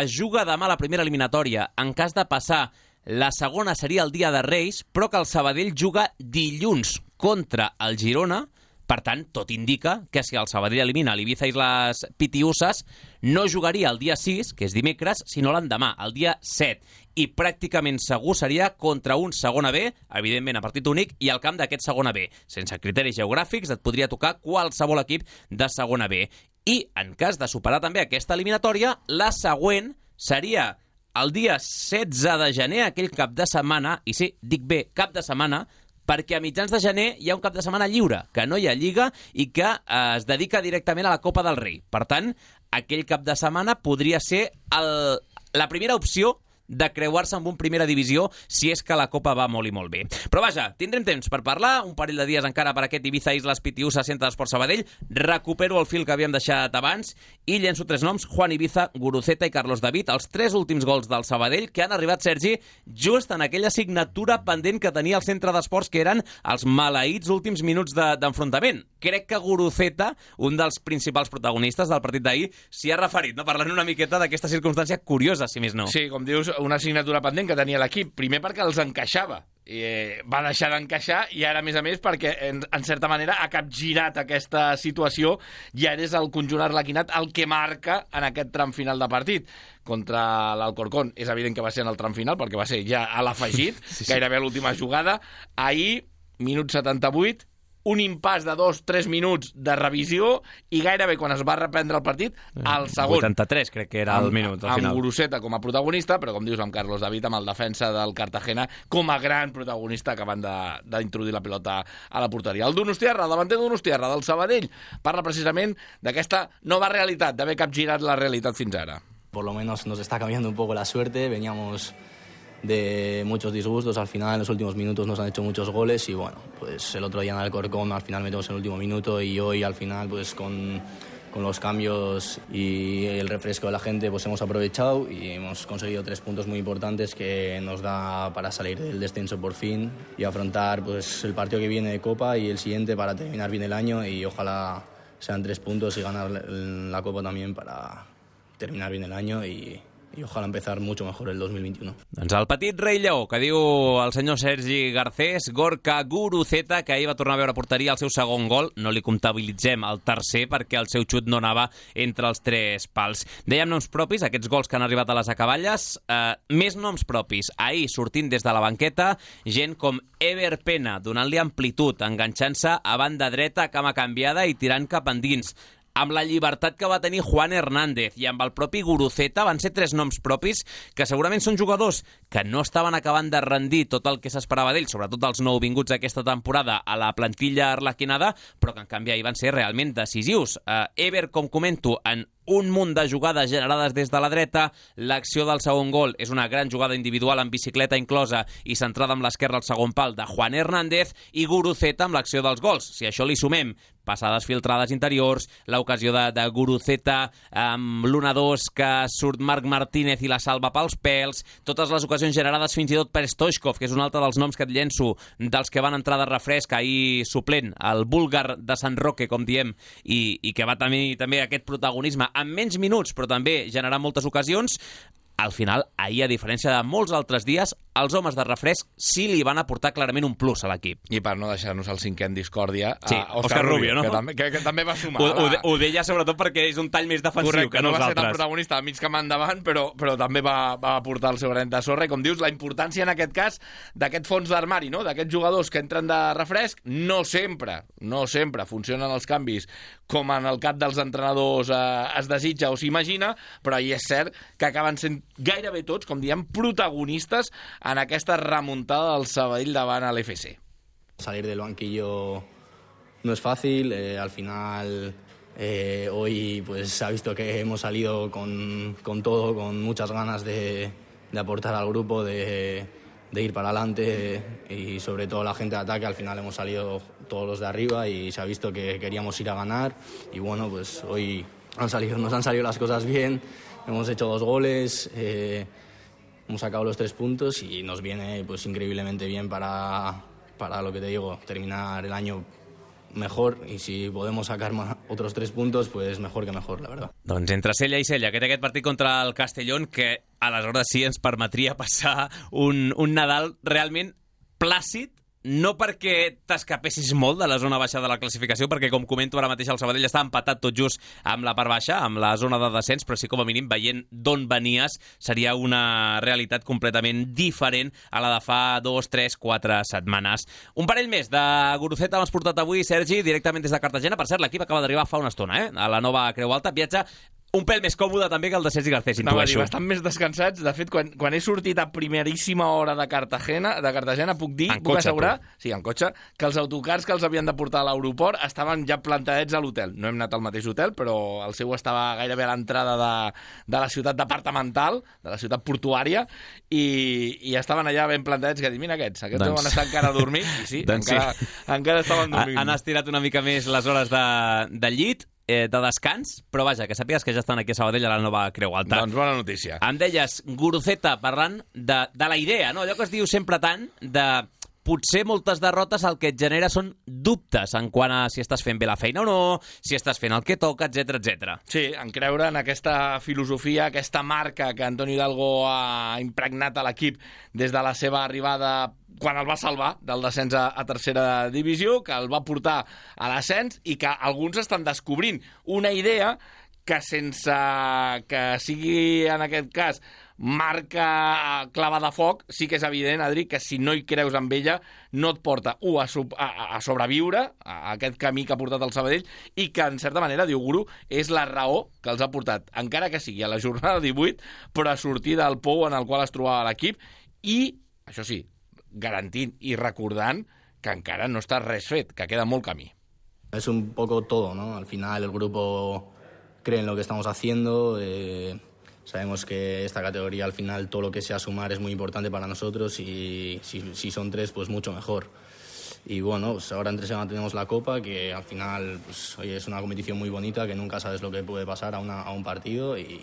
es juga demà la primera eliminatòria. En cas de passar, la segona seria el dia de Reis, però que el Sabadell juga dilluns contra el Girona. Per tant, tot indica que si el Sabadell elimina l'Ibiza i les Pitiuses, no jugaria el dia sis, que és dimecres, sinó l'endemà, el dia set. I pràcticament segur seria contra un segona B, evidentment a partit únic, i al camp d'aquest segona B. Sense criteris geogràfics, et podria tocar qualsevol equip de segona B. I, en cas de superar també aquesta eliminatòria, la següent seria el dia setze de gener, aquell cap de setmana, i sí, dic bé, cap de setmana, perquè a mitjans de gener hi ha un cap de setmana lliure, que no hi ha Lliga i que eh, es dedica directament a la Copa del Rei. Per tant, aquell cap de setmana podria ser el, la primera opció de creuar-se amb un primera divisió si és que la Copa va molt i molt bé. Però vaja, tindrem temps per parlar, un parell de dies encara per aquest Ibiza Islas Pitiusa Centre d'Esport Sabadell. Recupero el fil que havíem deixat abans i llenço tres noms: Juan Ibiza, Guruceta i Carlos David, els tres últims gols del Sabadell que han arribat, Sergi, just en aquella assignatura pendent que tenia el Centre d'Esports, que eren els maleïts últims minuts d'enfrontament. De, Crec que Guruceta, un dels principals protagonistes del partit d'ahir, s'hi ha referit, no? Parlant una miqueta d'aquesta circumstància curiosa, si més no. Sí, com dius, una assignatura pendent que tenia l'equip, primer perquè els encaixava. I, eh, va deixar d'encaixar i ara, a més a més, perquè en, en certa manera ha capgirat aquesta situació i ara és el conjunt arlequinat el que marca en aquest tram final de partit. Contra l'Alcorcón és evident que va ser en el tram final perquè va ser ja a l'afegit, sí, sí. Gairebé l'última jugada. Ahir, minut setanta-vuit, un impàs de dos tres minuts de revisió i gairebé quan es va reprendre el partit, al segon. vuitanta-tres crec que era el minut, al final. Amb Guruceta com a protagonista, però com dius, amb Carlos David, amb el defensa del Cartagena, com a gran protagonista acabant d'introduir la pilota a la porteria. El Donostiarra, el davanter Donostiarra, del Sabadell, parla precisament d'aquesta nova realitat, d'haver capgirat la realitat fins ara. Por lo menos nos está cambiando un poco la suerte, veníamos de muchos disgustos, al final en los últimos minutos nos han hecho muchos goles y bueno, pues el otro día en Alcorcón al final metemos en el último minuto y hoy al final pues con, con los cambios y el refresco de la gente pues hemos aprovechado y hemos conseguido tres puntos muy importantes que nos da para salir del descenso por fin y afrontar pues el partido que viene de Copa y el siguiente para terminar bien el año y ojalá sean tres puntos y ganar la Copa también para terminar bien el año y y ojalá empezar mucho mejor el dos mil veintiuno. Doncs el petit rei lleó, que diu el senyor Sergi Garcés, Gorka Guruceta, que ahir va tornar a veure porteria el seu segon gol. No li comptabilitzem el tercer perquè el seu xut no anava entre els tres pals. Dèiem noms propis, aquests gols que han arribat a les acaballes. Eh, més noms propis. Ahir, sortint des de la banqueta, gent com Ever Pena, donant-li amplitud, enganxant-se a banda dreta, cama canviada i tirant cap endins. Amb la llibertat que va tenir Juan Hernández i amb el propi Guruceta van ser tres noms propis que segurament són jugadors que no estaven acabant de rendir tot el que s'esperava d'ells, sobretot els nouvinguts aquesta temporada a la plantilla arlequinada, però que en canvi ahir van ser realment decisius. Uh, Ever, com comento, en un munt de jugades generades des de la dreta. L'acció del segon gol és una gran jugada individual amb bicicleta inclosa i centrada amb l'esquerra al segon pal de Juan Hernández, i Guruceta amb l'acció dels gols. Si això li sumem passades filtrades interiors, l'ocasió de, de Guruceta amb l'un a dos que surt Marc Martínez i la salva pels pèls, totes les ocasions generades fins i tot per Stoichkov, que és un altre dels noms que et llenço dels que van entrar de refresc ahir suplent, el búlgar de Sant Roque, com diem, i, i que va tenir també aquest protagonisme en menys minuts, però també generar moltes ocasions. Al final, ahir, a diferència de molts altres dies, els homes de refresc sí li van aportar clarament un plus a l'equip. I per no deixar-nos el cinquè en discòrdia, sí, a Òscar Rubio, no? que, també, que, que també va sumar. Ho, ho, ho deia sobretot perquè és un tall més defensiu. Correcte, que no nosaltres. Va ser tan protagonista al mig camp endavant, però, però també va, va aportar el seu granet de sorra. I com dius, la importància en aquest cas d'aquest fons d'armari, no? D'aquests jugadors que entren de refresc, no sempre, no sempre funcionen els canvis com en el cap dels entrenadors eh, es desitja o s'imagina, però hi és cert que acaben sent gairebé tots, com diem, protagonistes en aquesta remuntada del Sabadell davant a l'F C. Salir del banquillo no es fácil, eh, al final eh, hoy pues se ha visto que hemos salido con, con todo, con muchas ganas de, de aportar al grupo, de, de ir para adelante y sobre todo la gente de ataque. Al final hemos salido todos los de arriba y se ha visto que queríamos ir a ganar y bueno, pues hoy han salido, nos han salido las cosas bien, hemos hecho dos goles, eh, hemos sacado los tres puntos y nos viene pues increíblemente bien para, para lo que te digo, terminar el año mejor, i si podemos sacar otros tres puntos, pues mejor que mejor, la verdad. Doncs entre Sella i Sella, que té aquest partit contra el Castellón, que aleshores sí ens permetria passar un, un Nadal realment plàcid, no perquè t'escapessis molt de la zona baixa de la classificació, perquè, com comento ara mateix, el Sabadell està empatat tot just amb la part baixa, amb la zona de descens, però sí, com a mínim, veient d'on venies, seria una realitat completament diferent a la de fa dos, tres, quatre setmanes. Un parell més de Guruceta hem portat avui, Sergi, directament des de Cartagena. Per cert, l'equip acaba d'arribar fa una estona, eh? A la nova Creu Alta. Viatge un pèl més còmode també que el de Sergi Garcés, intueixo. No, bastant més descansats. De fet, quan, quan he sortit a primeríssima hora de Cartagena, de Cartagena puc dir, en puc cotxe, assegurar, tu. sí, en cotxe, que els autocars que els havien de portar a l'aeroport estaven ja plantadets a l'hotel. No hem anat al mateix hotel, però el seu estava gairebé a l'entrada de, de la ciutat departamental, de la ciutat portuària, i, i estaven allà ben plantadets, que dic, mira aquests, aquests doncs... deuen estar encara dormint, i sí, doncs encara, sí. encara estaven dormint. Han estirat una mica més les hores de, de llit, de descans, però vaja, que sàpigues que ja estan aquí a Sabadell a la nova Creu Alta. Doncs bona notícia. Em deies, Guruceta, parlant de, de la idea, no? Allò que es diu sempre tant de potser moltes derrotes el que et genera són dubtes en quant a si estàs fent bé la feina o no, si estàs fent el que toca, etcètera, etcètera. Sí, en creure en aquesta filosofia, aquesta marca que Antonio Hidalgo ha impregnat a l'equip des de la seva arribada quan el va salvar del descens a, a tercera divisió, que el va portar a l'ascens i que alguns estan descobrint una idea que sense que sigui, en aquest cas, marca clava de foc, sí que és evident, Adri, que si no hi creus amb ella no et porta, un, a, a, a sobreviure a aquest camí que ha portat el Sabadell i que, en certa manera, diu Guru, és la raó que els ha portat, encara que sigui a la jornada divuit, però a sortir del pou en el qual es trobava l'equip i, això sí, garantint i recordant que encara no està res fet, que queda molt camí. Es un poco todo, ¿no? Al final el grupo cree en lo que estamos haciendo, eh, sabemos que esta categoría al final todo lo que sea sumar es muy importante para nosotros y si, si son tres pues mucho mejor. Y bueno, pues ahora entre semana tenemos la Copa, que al final pues, oye, es una competición muy bonita, que nunca sabes lo que puede pasar a, una, a un partido y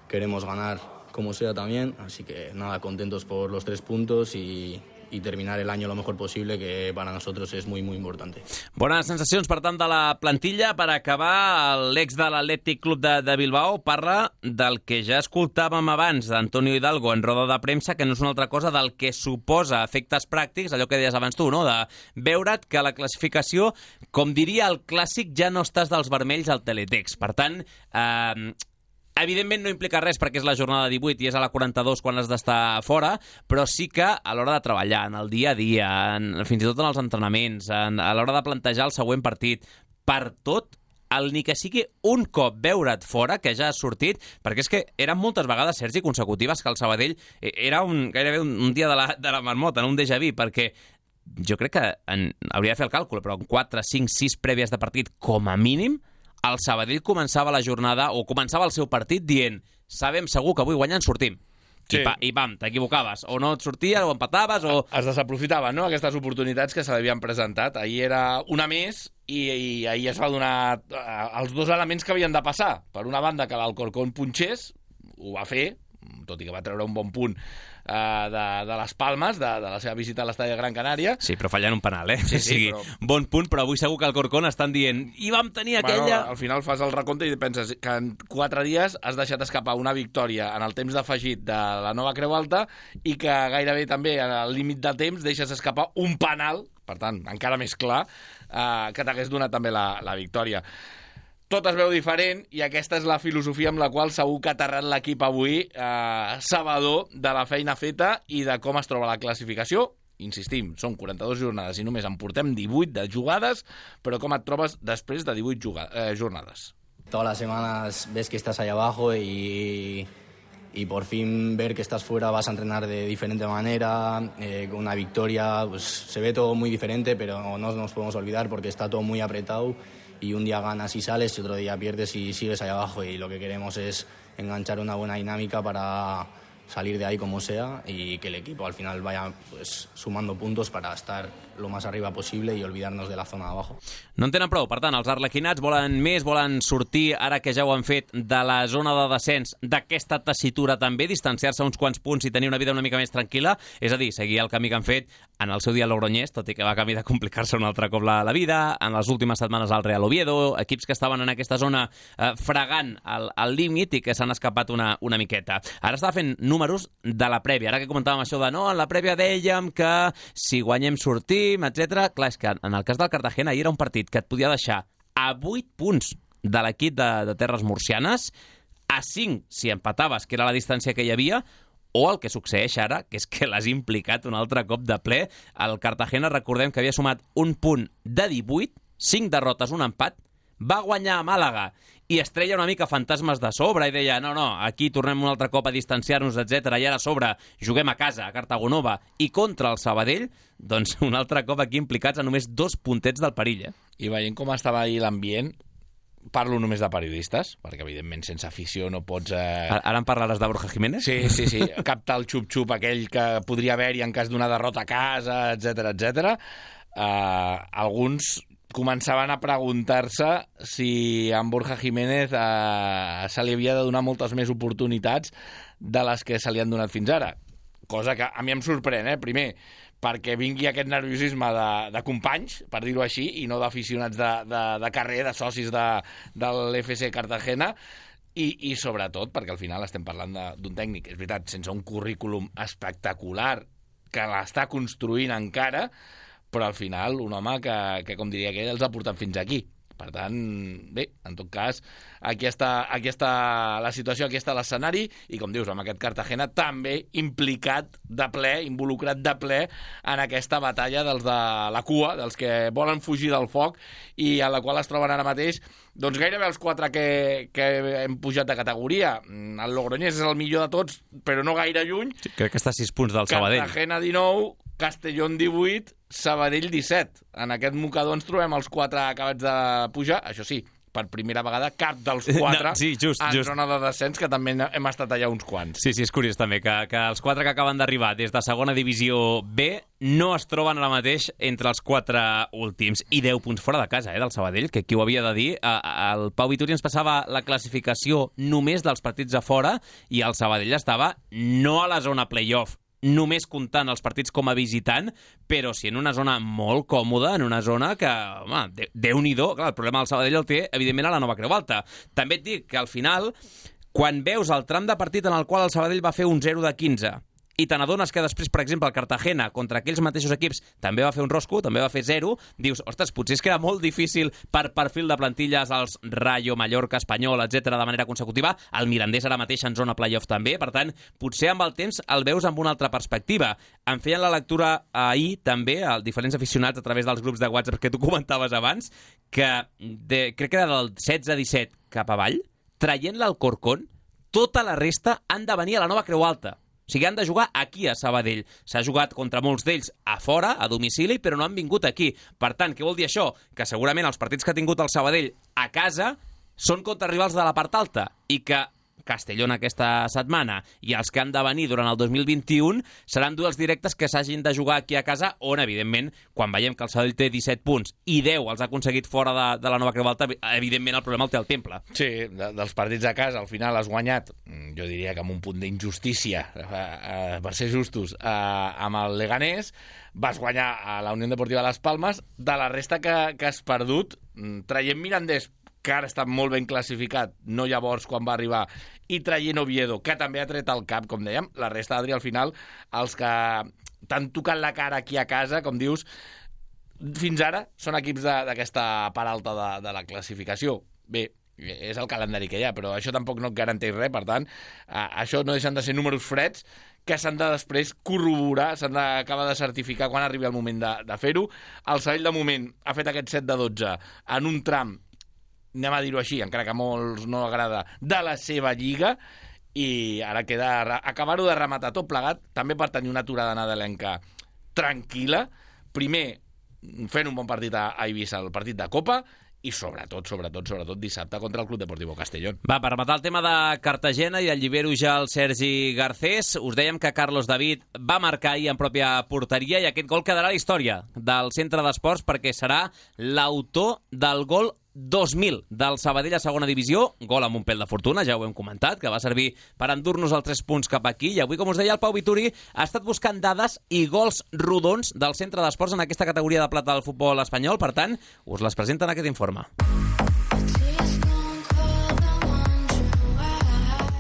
queremos ganar como sea también, así que nada, contentos por los tres puntos y y terminar el año lo mejor posible, que para nosotros es muy, muy importante. Bones sensacions, per tant, de la plantilla. Per acabar, l'ex de l'Atlètic Club de, de Bilbao parla del que ja escoltàvem abans d'Antonio Hidalgo en roda de premsa, que no és una altra cosa del que suposa efectes pràctics, allò que deies abans tu, no? De veure't que la classificació, com diria el clàssic, ja no estàs dels vermells al teletext. Per tant, eh, evidentment no implica res perquè és la jornada divuit i és a la quaranta-dos quan has d'estar fora, però sí que a l'hora de treballar, en el dia a dia, en, fins i tot en els entrenaments, en, a l'hora de plantejar el següent partit, per tot, el ni que sigui un cop veure't fora, que ja has sortit, perquè és que eren moltes vegades, Sergi, consecutives que el Sabadell era un, gairebé un, un dia de la, de la marmota, no un déjà vu, perquè jo crec que en, hauria de fer el càlcul, però en quatre, cinc, sis prèvies de partit, com a mínim, el Sabadell començava la jornada, o començava el seu partit dient, sabem segur que avui guanyant sortim. Sí. I, pa, i pam, t'equivocaves. O no et sorties, o empataves, o... Es desaprofitaven, no?, aquestes oportunitats que se l'havien presentat. Ahir era una més i, i ahir es va donar els dos elements que havien de passar. Per una banda, que l'Alcorcón punxés, ho va fer, tot i que va treure un bon punt uh, de, de les Palmes, de, de la seva visita a l'estadi de Gran Canària. Sí, però fallant un penal, eh? Sí, sí, o sigui, però... bon punt, però avui segur que al Corcón estan dient i vam tenir aquella... Bueno, al final fas el recompte i penses que en quatre dies has deixat escapar una victòria en el temps d'afegit de la Nova Creu Alta i que gairebé també al límit de temps deixes escapar un penal, per tant, encara més clar, uh, que t'hagués donat també la, la victòria. Tot es veu diferent i aquesta és la filosofia amb la qual segur que ha aterrat l'equip avui, eh, sabedor de la feina feta i de com es troba la classificació. Insistim, són quaranta-dues jornades i només en portem divuit de jugades, però com et trobes després de divuit eh, jornades? Todas las semanas ves que estás ahí abajo y, y por fin ver que estás fuera, vas a entrenar de diferente manera, eh, con una victoria, pues se ve todo muy diferente, pero no nos podemos olvidar porque está todo muy apretado. Y un día ganas y sales y otro día pierdes y sigues ahí abajo, y lo que queremos es enganchar una buena dinámica para salir de ahí como sea y que el equipo al final vaya pues sumando puntos para estar lo más arriba posible y olvidarnos de la zona de abajo. No en tenen prou, per tant, els arlequinats volen més, volen sortir, ara que ja ho han fet, de la zona de descens, d'aquesta tessitura també, distanciar-se uns quants punts i tenir una vida una mica més tranquil·la, és a dir, seguir el camí que han fet en el seu dia Logroñés, tot i que va camí de complicar-se un altre cop la, la vida, en les últimes setmanes al Real Oviedo, equips que estaven en aquesta zona eh, fregant al, al límit i que s'han escapat una, una miqueta. Ara estava fent números de la prèvia, ara que comentàvem això de no, en la prèvia dèiem que si guanyem sortim, etcètera. Clar, és que en el cas del Cartagena ahir era un partit que et podia deixar a vuit punts de l'equip de, de Terres Murcianes, a cinc si empataves, que era la distància que hi havia, o el que succeeix ara, que és que l'has implicat un altre cop de ple. El Cartagena, recordem que havia sumat un punt de divuit, cinc derrotes, un empat, va guanyar a Màlaga i es treia una mica fantasmes de sobre i deia, no, no, aquí tornem un altre cop a distanciar-nos, etcètera. I ara a sobre juguem a casa, a Cartagonova, i contra el Sabadell, doncs un altre cop aquí implicats a només dos puntets del perill, eh? I veient com estava ahir l'ambient, parlo només de periodistes, perquè evidentment sense afició no pots... Eh... Ara en parlaràs de Borja Jiménez? Sí, sí, sí, captar el xup-xup aquell que podria haver-hi en cas d'una derrota a casa, etcètera, etcètera. Uh, alguns començaven a preguntar-se si a en Borja Jiménez eh, se li havia de donar moltes més oportunitats de les que se li han donat fins ara. Cosa que a mi em sorprèn, eh? Primer, perquè vingui aquest nerviosisme de, de companys, per dir-ho així, i no d'aficionats de, de, de carrer, de socis de, de l'F C Cartagena, i, i sobretot perquè al final estem parlant d'un tècnic, és veritat, sense un currículum espectacular, que l'està construint encara, però al final un home que, que com diria aquell, els ha portat fins aquí. Per tant, bé, en tot cas, aquí està, aquí està la situació, aquí està l'escenari, i com dius, amb aquest Cartagena també implicat de ple, involucrat de ple en aquesta batalla dels de la cua, dels que volen fugir del foc i a la qual es troben ara mateix doncs gairebé els quatre que, que hem pujat de categoria. El Logroñés és el millor de tots, però no gaire lluny. Sí, crec que està a sis punts del Sabadell. Cartagena dinou, Castellón divuit, Sabadell disset. En aquest mocador ens trobem els quatre acabats de pujar, això sí, per primera vegada cap dels quatre no, sí, just, en just. zona de descens, que també hem estat allà uns quants. Sí, sí, és curiós també que, que els quatre que acaben d'arribar des de segona divisió B no es troben ara mateix entre els quatre últims. I deu punts fora de casa, eh, del Sabadell, que qui ho havia de dir. El Pau Vituri ens passava la classificació només dels partits a fora i el Sabadell estava no a la zona playoff, només comptant els partits com a visitant, però sí en una zona molt còmoda, en una zona que, home, Déu-n'hi-do, clar, el problema del Sabadell el té, evidentment, a la Nova Creu Alta. També et dic que al final, quan veus el tram de partit en el qual el Sabadell va fer un zero de quinze, i te n'adones que després, per exemple, el Cartagena contra aquells mateixos equips també va fer un rosco, també va fer zero, dius, ostres, potser és que era molt difícil per perfil de plantilles als Rayo, Mallorca, Espanyol, etcètera de manera consecutiva. El Mirandés ara mateix en zona playoff també, per tant, potser amb el temps el veus amb una altra perspectiva. Em feien la lectura ahir també, als diferents aficionats a través dels grups de WhatsApp que tu comentaves abans, que de, crec que era del setze a disset cap avall, traient l'Alcorcón, tota la resta han de venir a la Nova Creu Alta. O sigui, han de jugar aquí a Sabadell. S'ha jugat contra molts d'ells a fora, a domicili, però no han vingut aquí. Per tant, què vol dir això? Que segurament els partits que ha tingut el Sabadell a casa són contra rivals de la part alta i que Castellón aquesta setmana i els que han de venir durant el dos mil vint-i-u seran duels directes que s'hagin de jugar aquí a casa, on, evidentment, quan veiem que el Sabadell té disset punts i deu els ha aconseguit fora de, de la Nova Creu Alta, evidentment el problema el té el Temple. Sí, de, dels partits a casa al final has guanyat, jo diria que amb un punt d'injustícia, eh, eh, per ser justos, eh, amb el Leganés, vas guanyar a la Unió Deportiva Las Palmes. De la resta que, que has perdut, traient Mirandés, que ara està molt ben classificat, no llavors quan va arribar, i traient Oviedo, que també ha tret el cap, com dèiem, la resta, Adri, al final, els que t'han tocat la cara aquí a casa, com dius, fins ara són equips d'aquesta part alta de, de la classificació. Bé, és el calendari que hi ha, però això tampoc no et garanteix res, per tant, això no deixen de ser números freds que s'han de després corroborar, s'han d'acabar de certificar quan arribi el moment de, de fer-ho. El Sabadell, de moment, ha fet aquest set de dotze en un tram, anem a dir-ho així, encara que a molts no agrada, de la seva lliga, i ara queda acabar-ho de rematar tot plegat, també per tenir una aturada nadalenca tranquil·la, primer fent un bon partit a Eivissa, el partit de Copa, i sobretot, sobretot, sobretot dissabte contra el Club Deportivo Castellón. Va, per matar el tema de Cartagena i el llibero ja el Sergi Garcés, us dèiem que Carlos David va marcar ahir en pròpia porteria i aquest gol quedarà a la història del Centre d'Esports perquè serà l'autor del gol dos mil del Sabadell a segona divisió, gol amb un pèl de fortuna, ja ho hem comentat, que va servir per endur-nos els tres punts cap aquí, i avui, com us deia, el Pau Vituri ha estat buscant dades i gols rodons del Centre d'Esports en aquesta categoria de plata del futbol espanyol, per tant, us les presenta en aquest informe.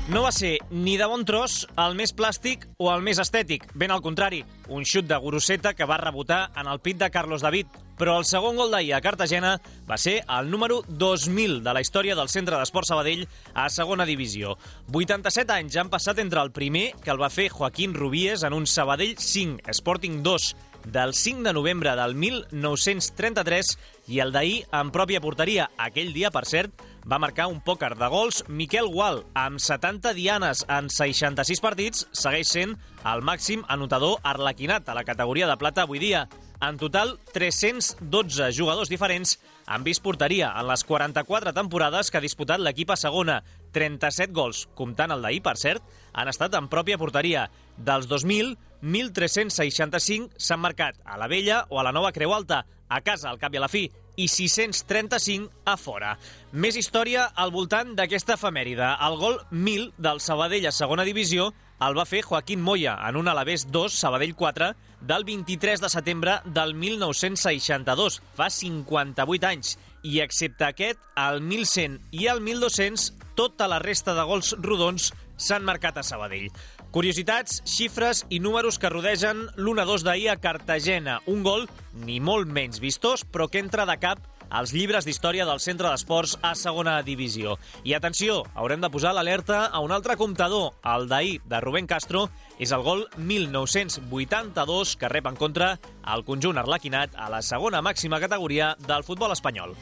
No va ser ni de bon tros el més plàstic o el més estètic, ben al contrari, un xut de Guruseta que va rebotar en el pit de Carlos David, però el segon gol d'ahir a Cartagena va ser el número dos mil de la història del Centre d'Esports Sabadell a segona divisió. vuitanta-set anys han passat entre el primer, que el va fer Joaquín Rubíes en un Sabadell cinc, Sporting dos, del cinc de novembre del mil nou-cents trenta-tres, i el d'ahir en pròpia porteria. Aquell dia, per cert, va marcar un pòquer de gols Miquel Gual, amb setanta dianes en seixanta-sis partits, segueix sent el màxim anotador arlequinat a la categoria de plata avui dia. En total, tres-cents dotze jugadors diferents han vist porteria en les quaranta-quatre temporades que ha disputat l'equip a segona. trenta-set gols, comptant el d'ahir, per cert, han estat en pròpia porteria. Dels dos mil, mil tres-cents seixanta-cinc s'han marcat a la Vella o a la Nova Creu Alta, a casa al cap i a la fi, i sis-cents trenta-cinc a fora. Més història al voltant d'aquesta efemèride. El gol mil del Sabadell a segona divisió el va fer Joaquín Moya en un Alavés dos, Sabadell quatre, del vint-i-tres de setembre del mil nou-cents seixanta-dos, fa cinquanta-vuit anys. I excepte aquest, el mil cent i el mil dos-cents, tota la resta de gols rodons s'han marcat a Sabadell. Curiositats, xifres i números que rodegen l'u a dos d'ahir a Cartagena. Un gol ni molt menys vistós, però que entra de cap als llibres d'història del Centre d'Esports a segona divisió. I atenció, haurem de posar l'alerta a un altre comptador. El d'ahir de Rubén Castro és el gol mil nou-cents vuitanta-dos que rep en contra el conjunt arlequinat a la segona màxima categoria del futbol espanyol.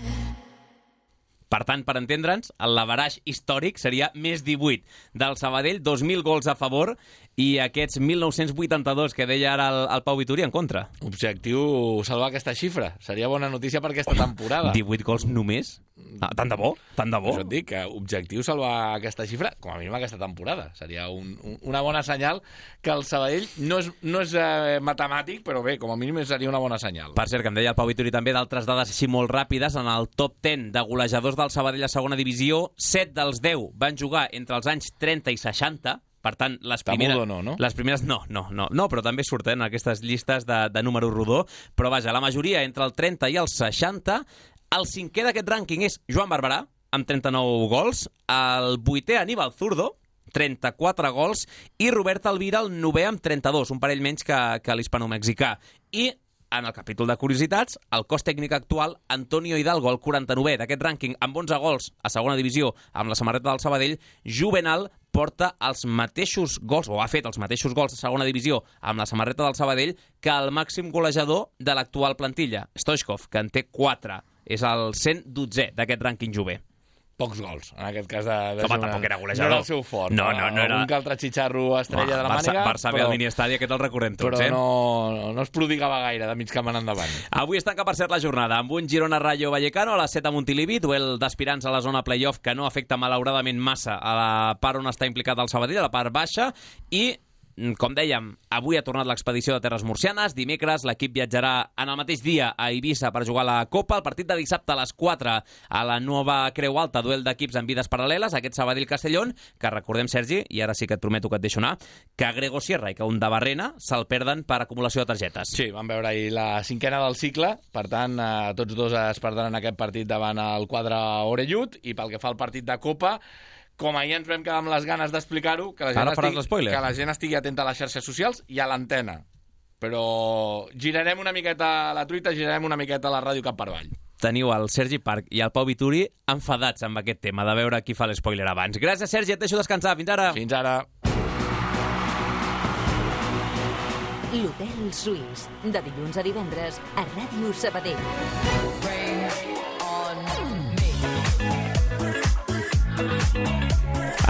Per tant, per entendre'ns, el lavaraix històric seria més divuit del Sabadell, dos mil gols a favor, i aquests mil nou-cents vuitanta-dos que deia ara el, el Pau Vituri en contra. Objectiu salvar aquesta xifra. Seria bona notícia per aquesta temporada. divuit gols només? Ah, tant de bo, tant de bo. Això et dic, que objectiu salvar aquesta xifra, com a mínim aquesta temporada. Seria un, un, una bona senyal que el Sabadell no és, no és eh, matemàtic, però bé, com a mínim seria una bona senyal. Per cert, que em deia el Pau Vituri també d'altres dades així molt ràpides, en el top deu de golejadors del Sabadell a segona divisió, set dels deu van jugar entre els anys trenta i seixanta, Per tant, les Està primeres... mudo no, no? Les primeres no, no, no, no, però també surten aquestes llistes de, de número rodó. Però vaja, la majoria entre el trenta i el seixanta. El cinquè d'aquest rànquing és Joan Barberà, amb trenta-nou gols. El vuitè, Aníbal Zurdo, trenta-quatre gols. I Robert Alvira, el novè, amb trenta-dos, un parell menys que, que l'hispano-mexicà. I en el capítol de curiositats, el cos tècnic actual, Antonio Hidalgo, el quaranta-novè d'aquest rànquing, amb onze gols a segona divisió, amb la samarreta del Sabadell. Juvenal porta els mateixos gols, o ha fet els mateixos gols a segona divisió amb la samarreta del Sabadell, que el màxim golejador de l'actual plantilla, Stoichkov, que en té quatre. És el cent dotzè d'aquest rànquing jove. Pocs gols, en aquest cas de, de Home, Girona. tampoc era golejador. No era el seu fort. No, no, no era... Algun que altre xitxarro estrella Oh, de la Barça, màniga. Barça ve però, al mini-estadi, aquest el recordem tots, però eh? no, no es prodigava gaire de mig camp en endavant. Avui es tanca, per cert, la jornada amb un Girona-Rayo Vallecano a les set a Montilivi, duel d'aspirants a la zona playoff que no afecta malauradament massa a la part on està implicat el Sabadell, a la part baixa, i com dèiem, avui ha tornat l'expedició de Terres Murcianes. Dimecres l'equip viatjarà en el mateix dia a Eivissa per jugar la Copa. El partit de dissabte a les quatre a la nova Creu Alta, duel d'equips en vides paral·leles, aquest Sabadell-Castellón, que recordem, Sergi, i ara sí que et prometo que et deixo anar, que Grego Sierra i que un de Barrena se'l perden per acumulació de targetes. Sí, vam veure ahir la cinquena del cicle, per tant, eh, tots dos es perdran aquest partit davant el quadre Orellut, i pel que fa al partit de Copa, com ahir ens vam quedar amb les ganes d'explicar-ho, que, la gent Ara faràs estigui, l'espoiler. que la gent estigui atenta a les xarxes socials i a l'antena. Però girarem una miqueta la truita, girarem una miqueta la ràdio cap per avall. Teniu el Sergi Parc i el Pau Vituri enfadats amb aquest tema, de veure qui fa l'espoiler abans. Gràcies, Sergi, et deixo descansar. Fins ara. Fins ara. L'Hotel Suís, de dilluns a divendres a Ràdio Sabadell.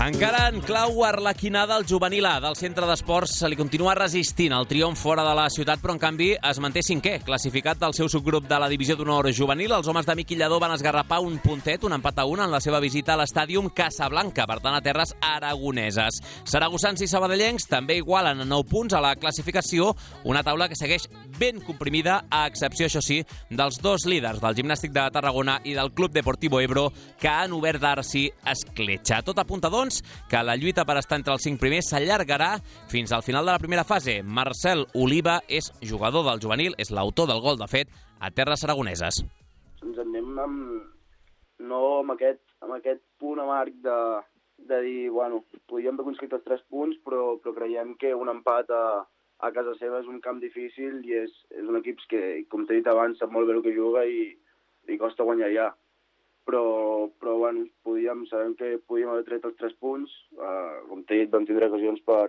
Encara en clau arlequinada, el juvenil A del centre d'esports se li continua resistint el triomf fora de la ciutat, però en canvi es manté cinquè, classificat del seu subgrup de la divisió d'honor juvenil. Els homes de Miqui Lladó van esgarrapar un puntet, un empat a un, en la seva visita a l'estàdium Casablanca, per tant a terres aragoneses. Saragossans i sabadellencs també igualen a nou punts a la classificació, una taula que segueix ben comprimida, a excepció, això sí, dels dos líders del Gimnàstic de Tarragona i del Club Deportivo Ebro, que han obert d'arci escletxa. Tot apunta, doncs, que la lluita per estar entre els cinc primers s'allargarà fins al final de la primera fase. Marcel Oliva és jugador del juvenil, és l'autor del gol, de fet, a terres aragoneses. Ens anem amb, no amb aquest, amb aquest punt amarg de, de dir, bueno, podíem haver aconseguit els tres punts, però, però creiem que un empat a, a casa seva és un camp difícil i és, és un equip que, com t'he dit abans, sap molt bé el que juga i, i costa guanyar ja. Però, però bueno, podíem, sabem que podíem haver tret els tres punts, uh, com t'he dit, vam tindre ocasions per,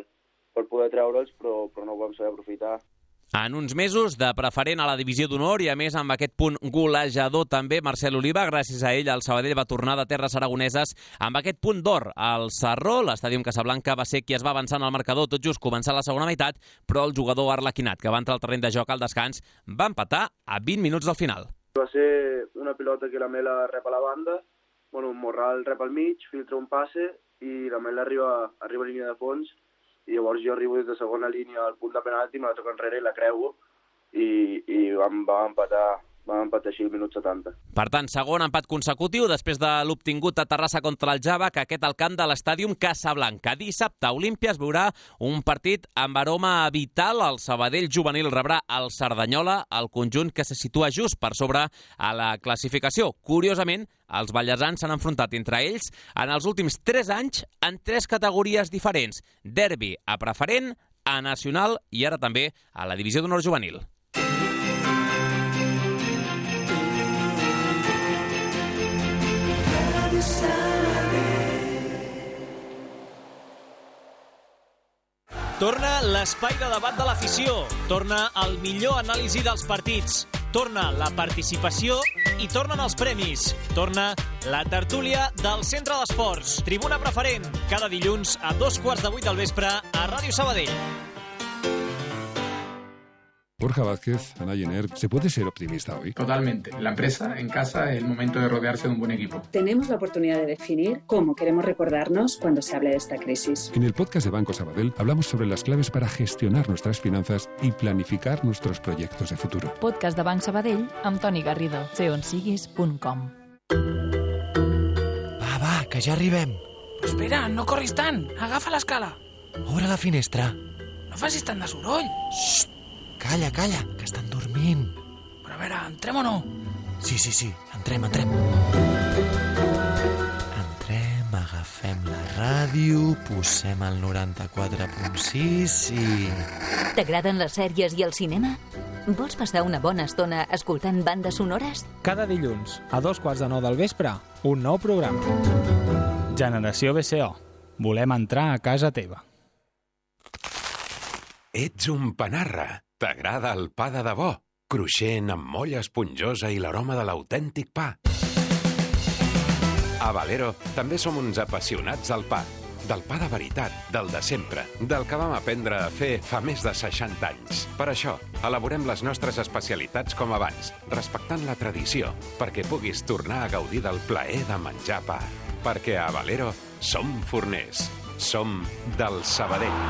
per poder treure'ls, però, però no ho vam saber aprofitar. En uns mesos de preferent a la divisió d'honor i, a més, amb aquest punt golejador també, Marcel Oliva, gràcies a ell, el Sabadell va tornar de terres aragoneses amb aquest punt d'or. El Sarró, l'estàdium Casablanca, va ser qui es va avançar en el marcador tot just començar la segona meitat, però el jugador arlequinat, que va entrar al terreny de joc al descans, va empatar a vint minuts del final. Va ser una pilota que la Mela rep a la banda, bueno, Morral rep al mig, filtra un passe i la Mela arriba, arriba a línia de fons i llavors jo arribo des de segona línia al punt de penalti, me la toco enrere i la creuo i, i vam, vam empatar vam empatar així al minut setanta. Per tant, segon empat consecutiu després de l'obtingut a Terrassa contra el Java, que aquest al camp de l'estàdium Casablanca. Dissabte, Olímpia es veurà un partit amb aroma vital. El Sabadell juvenil rebrà el Cerdanyola, el conjunt que se situa just per sobre a la classificació. Curiosament, els ballesans s'han enfrontat entre ells en els últims tres anys en tres categories diferents. Derbi a preferent, a nacional i ara també a la divisió d'honor juvenil. Torna l'espai de debat de l'afició. Torna el millor anàlisi dels partits. Torna la participació i tornen els premis. Torna la tertúlia del Centre d'Esports. Tribuna preferent, cada dilluns a dos quarts de vuit del vespre a Ràdio Sabadell. Borja Vázquez, Ana Jenner, ¿se puede ser optimista hoy? Totalmente. La empresa, en casa, es el momento de rodearse de un buen equipo. Tenemos la oportunidad de definir cómo queremos recordarnos cuando se hable de esta crisis. En el podcast de Banco Sabadell hablamos sobre las claves para gestionar nuestras finanzas y planificar nuestros proyectos de futuro. Podcast de Banc Sabadell amb Toni Garrido. sé on siguis punt com. Va, va, que ja arribem. Espera, no corris tant. Agafa l'escala. Obre la finestra. No facis tant de soroll. Xxt, calla, calla, que estan dormint. Però a veure, entrem o no? Sí, sí, sí, entrem, entrem. Entrem, agafem la ràdio, posem el noranta-quatre punt sis i... T'agraden les sèries i el cinema? Vols passar una bona estona escoltant bandes sonores? Cada dilluns, a dos quarts de nou del vespre, un nou programa. Generació B C O. Volem entrar a casa teva. Ets un panarra. T'agrada el pa de debò? Cruixent, amb molla esponjosa i l'aroma de l'autèntic pa. A Valero també som uns apassionats del pa. Del pa de veritat, del de sempre, del que vam aprendre a fer fa més de seixanta anys. Per això, elaborem les nostres especialitats com abans, respectant la tradició, perquè puguis tornar a gaudir del plaer de menjar pa. Perquè a Valero som forners. Som del Sabadell.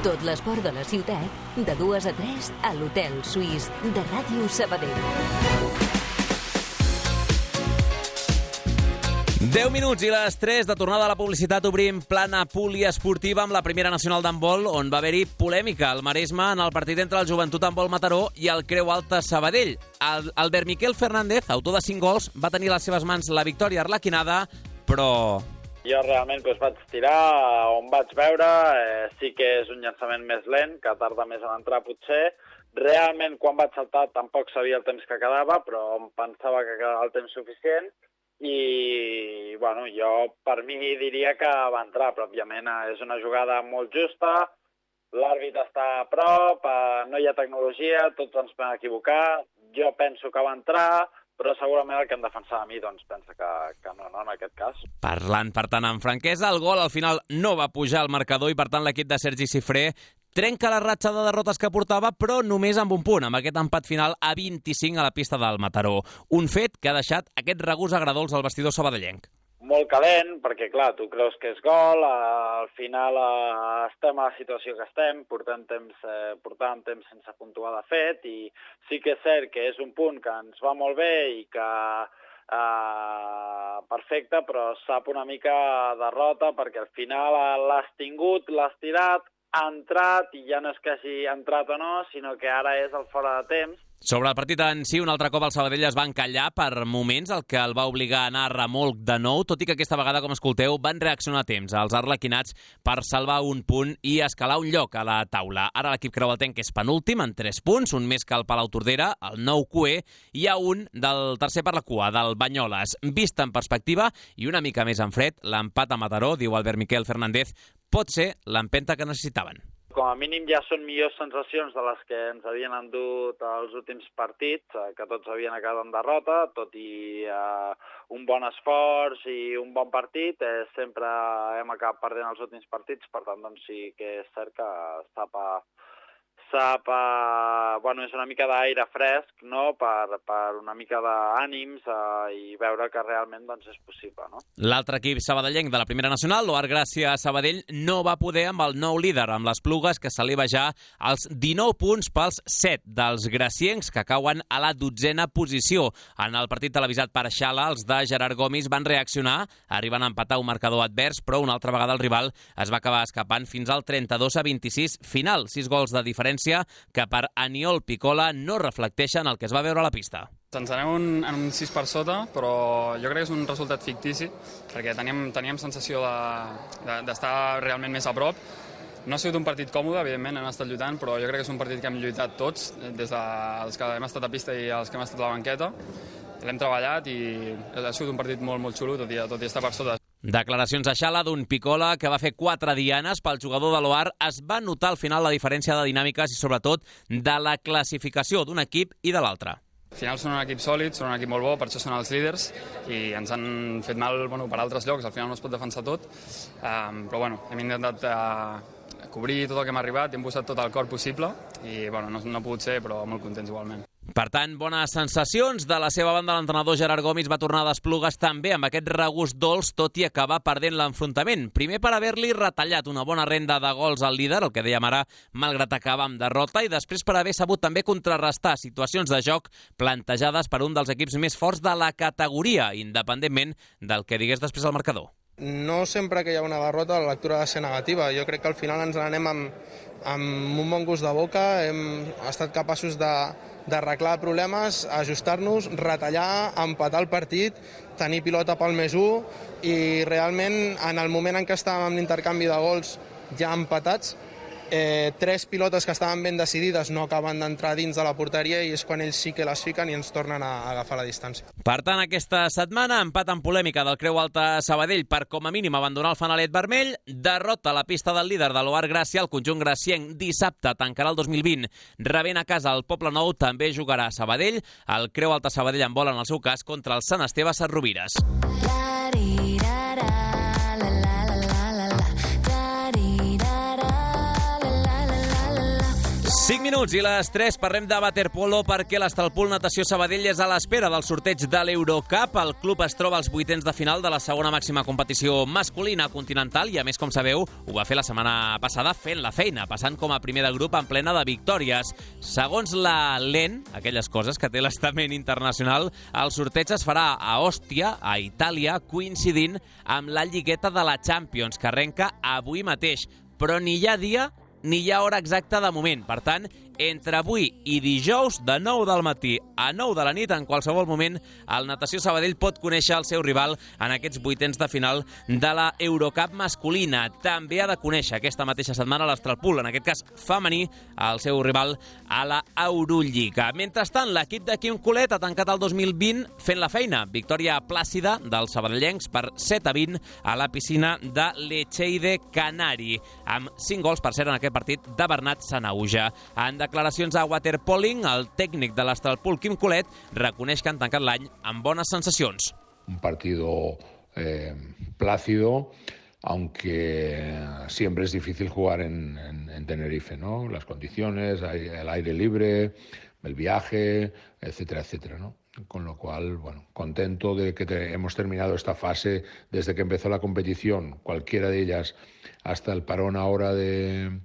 Tot l'esport de la ciutat, de dues a tres, a l'Hotel Suís de Ràdio Sabadell. deu minuts i les tres de tornada a la publicitat obrim plana poliesportiva amb la primera nacional d'handbol, on va haver-hi polèmica al Maresme en el partit entre el Joventut Handbol Mataró i el Creu Alta Sabadell. El Albert Miquel Fernández, autor de cinc gols, va tenir a les seves mans la victòria arlequinada, però... Jo realment doncs, vaig tirar on vaig veure, eh, sí que és un llançament més lent, que tarda més en entrar potser. Realment, quan vaig saltar, tampoc sabia el temps que quedava, però em pensava que quedava el temps suficient. I, bueno, jo per mi diria que va entrar, però òbviament és una jugada molt justa, l'àrbit està a prop, eh, no hi ha tecnologia, tots ens podem equivocar, jo penso que va entrar, però segurament el que em defensava a mi doncs, pensa que, que no, no, en aquest cas. Parlant, per tant, amb franquesa, el gol al final no va pujar al marcador i, per tant, l'equip de Sergi Cifré trenca la ratxa de derrotes que portava, però només amb un punt, amb aquest empat final a vint-i-cinc a la pista del Mataró. Un fet que ha deixat aquest regust agradols al vestidor sabadellenc. Molt calent, perquè, clar, tu creus que és gol, al final eh, estem a la situació que estem, portant temps, eh, portant temps sense puntuar de fet, i sí que és cert que és un punt que ens va molt bé i que eh, perfecte, però sap una mica derrota, perquè al final l'has tingut, l'has tirat, ha entrat, i ja no és que hagi entrat o no, sinó que ara és el fora de temps. Sobre el partit en si, un altre cop el Sabadell es va encallar per moments, el que el va obligar a anar a remolc de nou, tot i que aquesta vegada, com escolteu, van reaccionar a temps els arlequinats per salvar un punt i escalar un lloc a la taula. Ara l'equip creualtenc és penúltim en tres punts, un més que el Palau Tordera, el nou Q E, i hi ha un del tercer per la cua, del Banyoles. Vist en perspectiva i una mica més en fred, l'empat a Mataró, diu Albert Miquel Fernández, pot ser l'empenta que necessitaven. Com a mínim ja són millors sensacions de les que ens havien endut els últims partits, que tots havien acabat en derrota, tot i eh, un bon esforç i un bon partit, eh, sempre hem acabat perdent els últims partits, per tant doncs sí que és cert que sap a, sap a, bueno, és una mica d'aire fresc, no?, per, per una mica d'ànims eh, i veure que realment doncs, és possible, no? L'altre equip sabadellenc de la primera nacional, l'Oar Gràcia Sabadell, no va poder amb el nou líder, amb les Plugues, que s'eleva ja als dinou punts pels set dels graciencs, que cauen a la dotzena posició. En el partit televisat per Xala, els de Gerard Gomis van reaccionar, arribant a empatar un marcador advers, però una altra vegada el rival es va acabar escapant fins al trenta-dos a vint-i-sis final. Sis gols de diferència que per Aniol Picola no reflecteixen el que es va veure a la pista. Ens anem un, en un sis per sota, però jo crec que és un resultat fictici, perquè teníem, teníem sensació d'estar de, de, realment més a prop. No ha sigut un partit còmode, evidentment, hem estat lluitant, però jo crec que és un partit que hem lluitat tots, des dels que hem estat a pista i els que hem estat a la banqueta. L'hem treballat i ha sigut un partit molt, molt xulo, tot i, tot i estar per sota. Declaracions a Xala d'un Picola que va fer quatre dianes pel jugador de l'Oar. Es va notar al final la diferència de dinàmiques i sobretot de la classificació d'un equip i de l'altre. Al final són un equip sòlid, són un equip molt bo, per això són els líders i ens han fet mal bueno, per altres llocs, al final no es pot defensar tot, um, però bueno, hem intentat uh, cobrir tot el que hem arribat, hem posat tot el cor possible i bueno, no, no ha pogut ser, però molt contents igualment. Per tant, bones sensacions. De la seva banda, l'entrenador Gerard Gomis va tornar a d'Esplugues també amb aquest regust dolç, tot i acabar perdent l'enfrontament. Primer per haver-li retallat una bona renda de gols al líder, el que dèiem ara, malgrat acabar amb derrota, i després per haver sabut també contrarrestar situacions de joc plantejades per un dels equips més forts de la categoria, independentment del que digués després al marcador. No sempre que hi ha una derrota la lectura ha de ser negativa. Jo crec que al final ens n'anem amb, amb un bon gust de boca, hem estat capaços de d'arreglar problemes, ajustar-nos, retallar, empatar el partit, tenir pilota pel més u i realment en el moment en què estàvem amb l'intercanvi de gols ja empatats, eh, tres pilotes que estaven ben decidides no acaben d'entrar dins de la porteria i és quan ells sí que les fiquen i ens tornen a agafar la distància. Per tant, aquesta setmana, empat en polèmica del Creu Alta Sabadell per com a mínim abandonar el fanalet vermell, derrota a la pista del líder de l'O A R Gràcia, el conjunt gracienc dissabte tancarà el dos mil vint rebent a casa el Poble Nou, també jugarà a Sabadell, el Creu Alta Sabadell en vol en el seu cas contra el Sant Esteve Sesrovires. cinc minuts i les tres parlem de waterpolo perquè l'Estalpul Natació Sabadell és a l'espera del sorteig de l'Eurocup. El club es troba als vuitens de final de la segona màxima competició masculina continental i, a més, com sabeu, ho va fer la setmana passada fent la feina, passant com a primer de grup en plena de victòries. Segons la L E N, aquelles coses que té l'estament internacional, el sorteig es farà a Òstia, a Itàlia, coincidint amb la lligueta de la Champions, que arrenca avui mateix, però ni hi ha dia ni hi ha hora exacta de moment. Per tant, entre avui i dijous, de nou del matí a nou de la nit, en qualsevol moment, el Natació Sabadell pot conèixer el seu rival en aquests vuitens de final de la Eurocup masculina. També ha de conèixer aquesta mateixa setmana l'Estalpul, en aquest cas femení, el seu rival a la Eurolliga. Mentrestant, l'equip de Quim Colet ha tancat el dos mil vint fent la feina. Victòria plàcida dels sabadellencs per set a vint a la piscina de l'Echeide Canari, amb cinc gols, per cert, en aquest partit de Bernat Sanauja. En declaracions a Waterpoling, el tècnic de l'Estalpul, Quim Colet, reconeix que han tancat l'any amb bones sensacions. Un partido eh, plácido, aunque siempre es difícil jugar en, en, en Tenerife, ¿no? Las condiciones, el aire libre, el viaje, etcétera, etcétera, ¿no? Con lo cual, bueno, contento de que te, hemos terminado esta fase desde que empezó la competición, cualquiera de ellas, hasta el parón ahora de,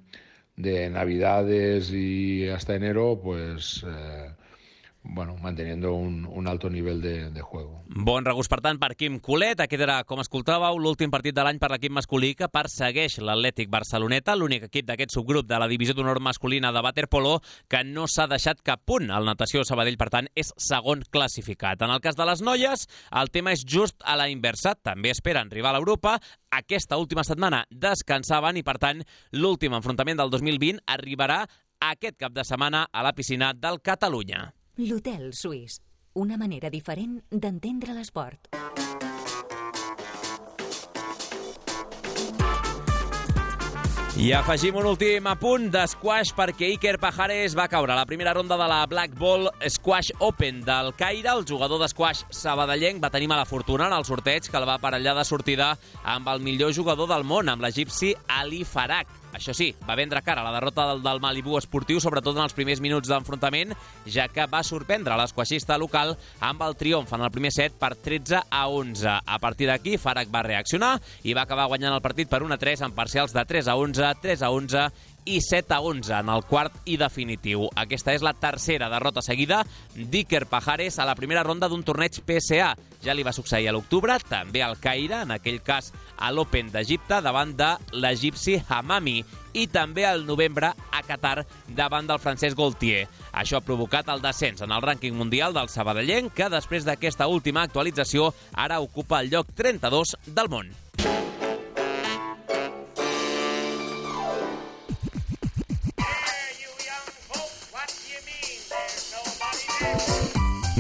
de Navidades y hasta enero, pues... Eh, bueno, manteniendo un, un alto nivell de, de juego. Bon regust, per tant, per Quim Colet. Aquest era, com escoltàveu, l'últim partit de l'any per l'equip masculí que persegueix l'Atlètic Barceloneta, l'únic equip d'aquest subgrup de la divisió d'honor masculina de waterpolo que no s'ha deixat cap punt. El Natació Sabadell, per tant, és segon classificat. En el cas de les noies, el tema és just a la inversa. També esperen rival a Europa. Aquesta última setmana descansaven i, per tant, l'últim enfrontament del dos mil vint arribarà aquest cap de setmana a la piscina del Catalunya. L'Hotel Suís, una manera diferent d'entendre l'esport. I afegim un últim apunt d'esquash perquè Iker Pajares va caure a la primera ronda de la Black Ball Squash Open del Caire. El jugador d'esquash sabadellenc va tenir mala fortuna en el sorteig que el va aparellar de sortida amb el millor jugador del món, amb l'egipci Ali Farag. Això sí, va vendre cara a la derrota del, del Malibu esportiu, sobretot en els primers minuts d'enfrontament, ja que va sorprendre l'esquaixista local amb el triomf en el primer set per tretze a onze. A partir d'aquí, Farag va reaccionar i va acabar guanyant el partit per un a tres amb parcials de tres a onze, tres a onze i set a onze en el quart i definitiu. Aquesta és la tercera derrota seguida d'Iker Pajares a la primera ronda d'un torneig P S A. Ja li va succeir a l'octubre, també al Caire, en aquell cas a l'Open d'Egipte, davant de l'egipci Hamami, i també al novembre a Qatar, davant del francès Gaultier. Això ha provocat el descens en el rànquing mundial del sabadellenc, que després d'aquesta última actualització ara ocupa el lloc trenta-dos del món.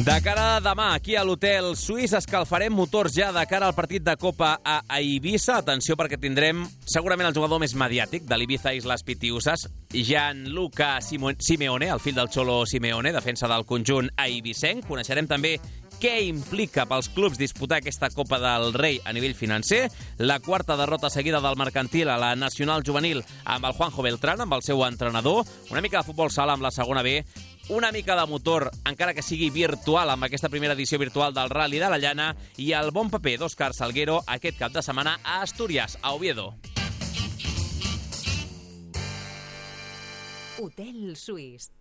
De cara a demà, aquí a l'Hotel Suís, escalfarem motors ja de cara al partit de Copa a Eivissa. Atenció, perquè tindrem segurament el jugador més mediàtic de l'Ibiza Islas Pitiusas, Gianluca Simeone, el fill del Cholo Simeone, defensa del conjunt eivissenc. Coneixerem també què implica pels clubs disputar aquesta Copa del Rei a nivell financer, la quarta derrota seguida del Mercantil a la Nacional Juvenil amb el Juanjo Beltrán, amb el seu entrenador, una mica de futbol sala amb la segona B, una mica de motor, encara que sigui virtual, amb aquesta primera edició virtual del Rally de la Llana, i el bon paper d'Òscar Salguero aquest cap de setmana a Astúries, a Oviedo. Hotel Suís.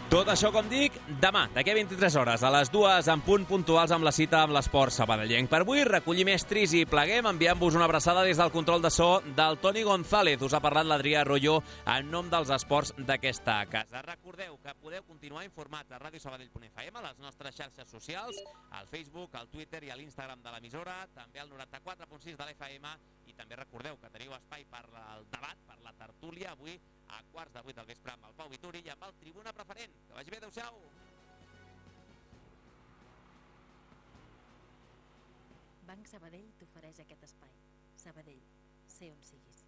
Tot això, com dic, demà, d'aquí a vint-i-tres hores, a les dues en punt puntuals amb la cita amb l'esport sabadellenc. Per avui, recollim estris i pleguem, enviant-vos una abraçada des del control de so del Toni González. Us ha parlat l'Adrià Arroyo en nom dels esports d'aquesta casa. Recordeu que podeu continuar informats a ràdio sabadell punt f m, a les nostres xarxes socials, al Facebook, al Twitter i a l'Instagram de l'emissora, també al noranta-quatre punt sis de l'F M, i també recordeu que teniu espai per al debat, per la tertúlia, avui a quarts de vuit del vespre amb el Pau Vituri i amb el Tribuna Preferent. Que vagi bé, adeu-siau! Banc Sabadell t'ofereix aquest espai. Sabadell, sé on siguis.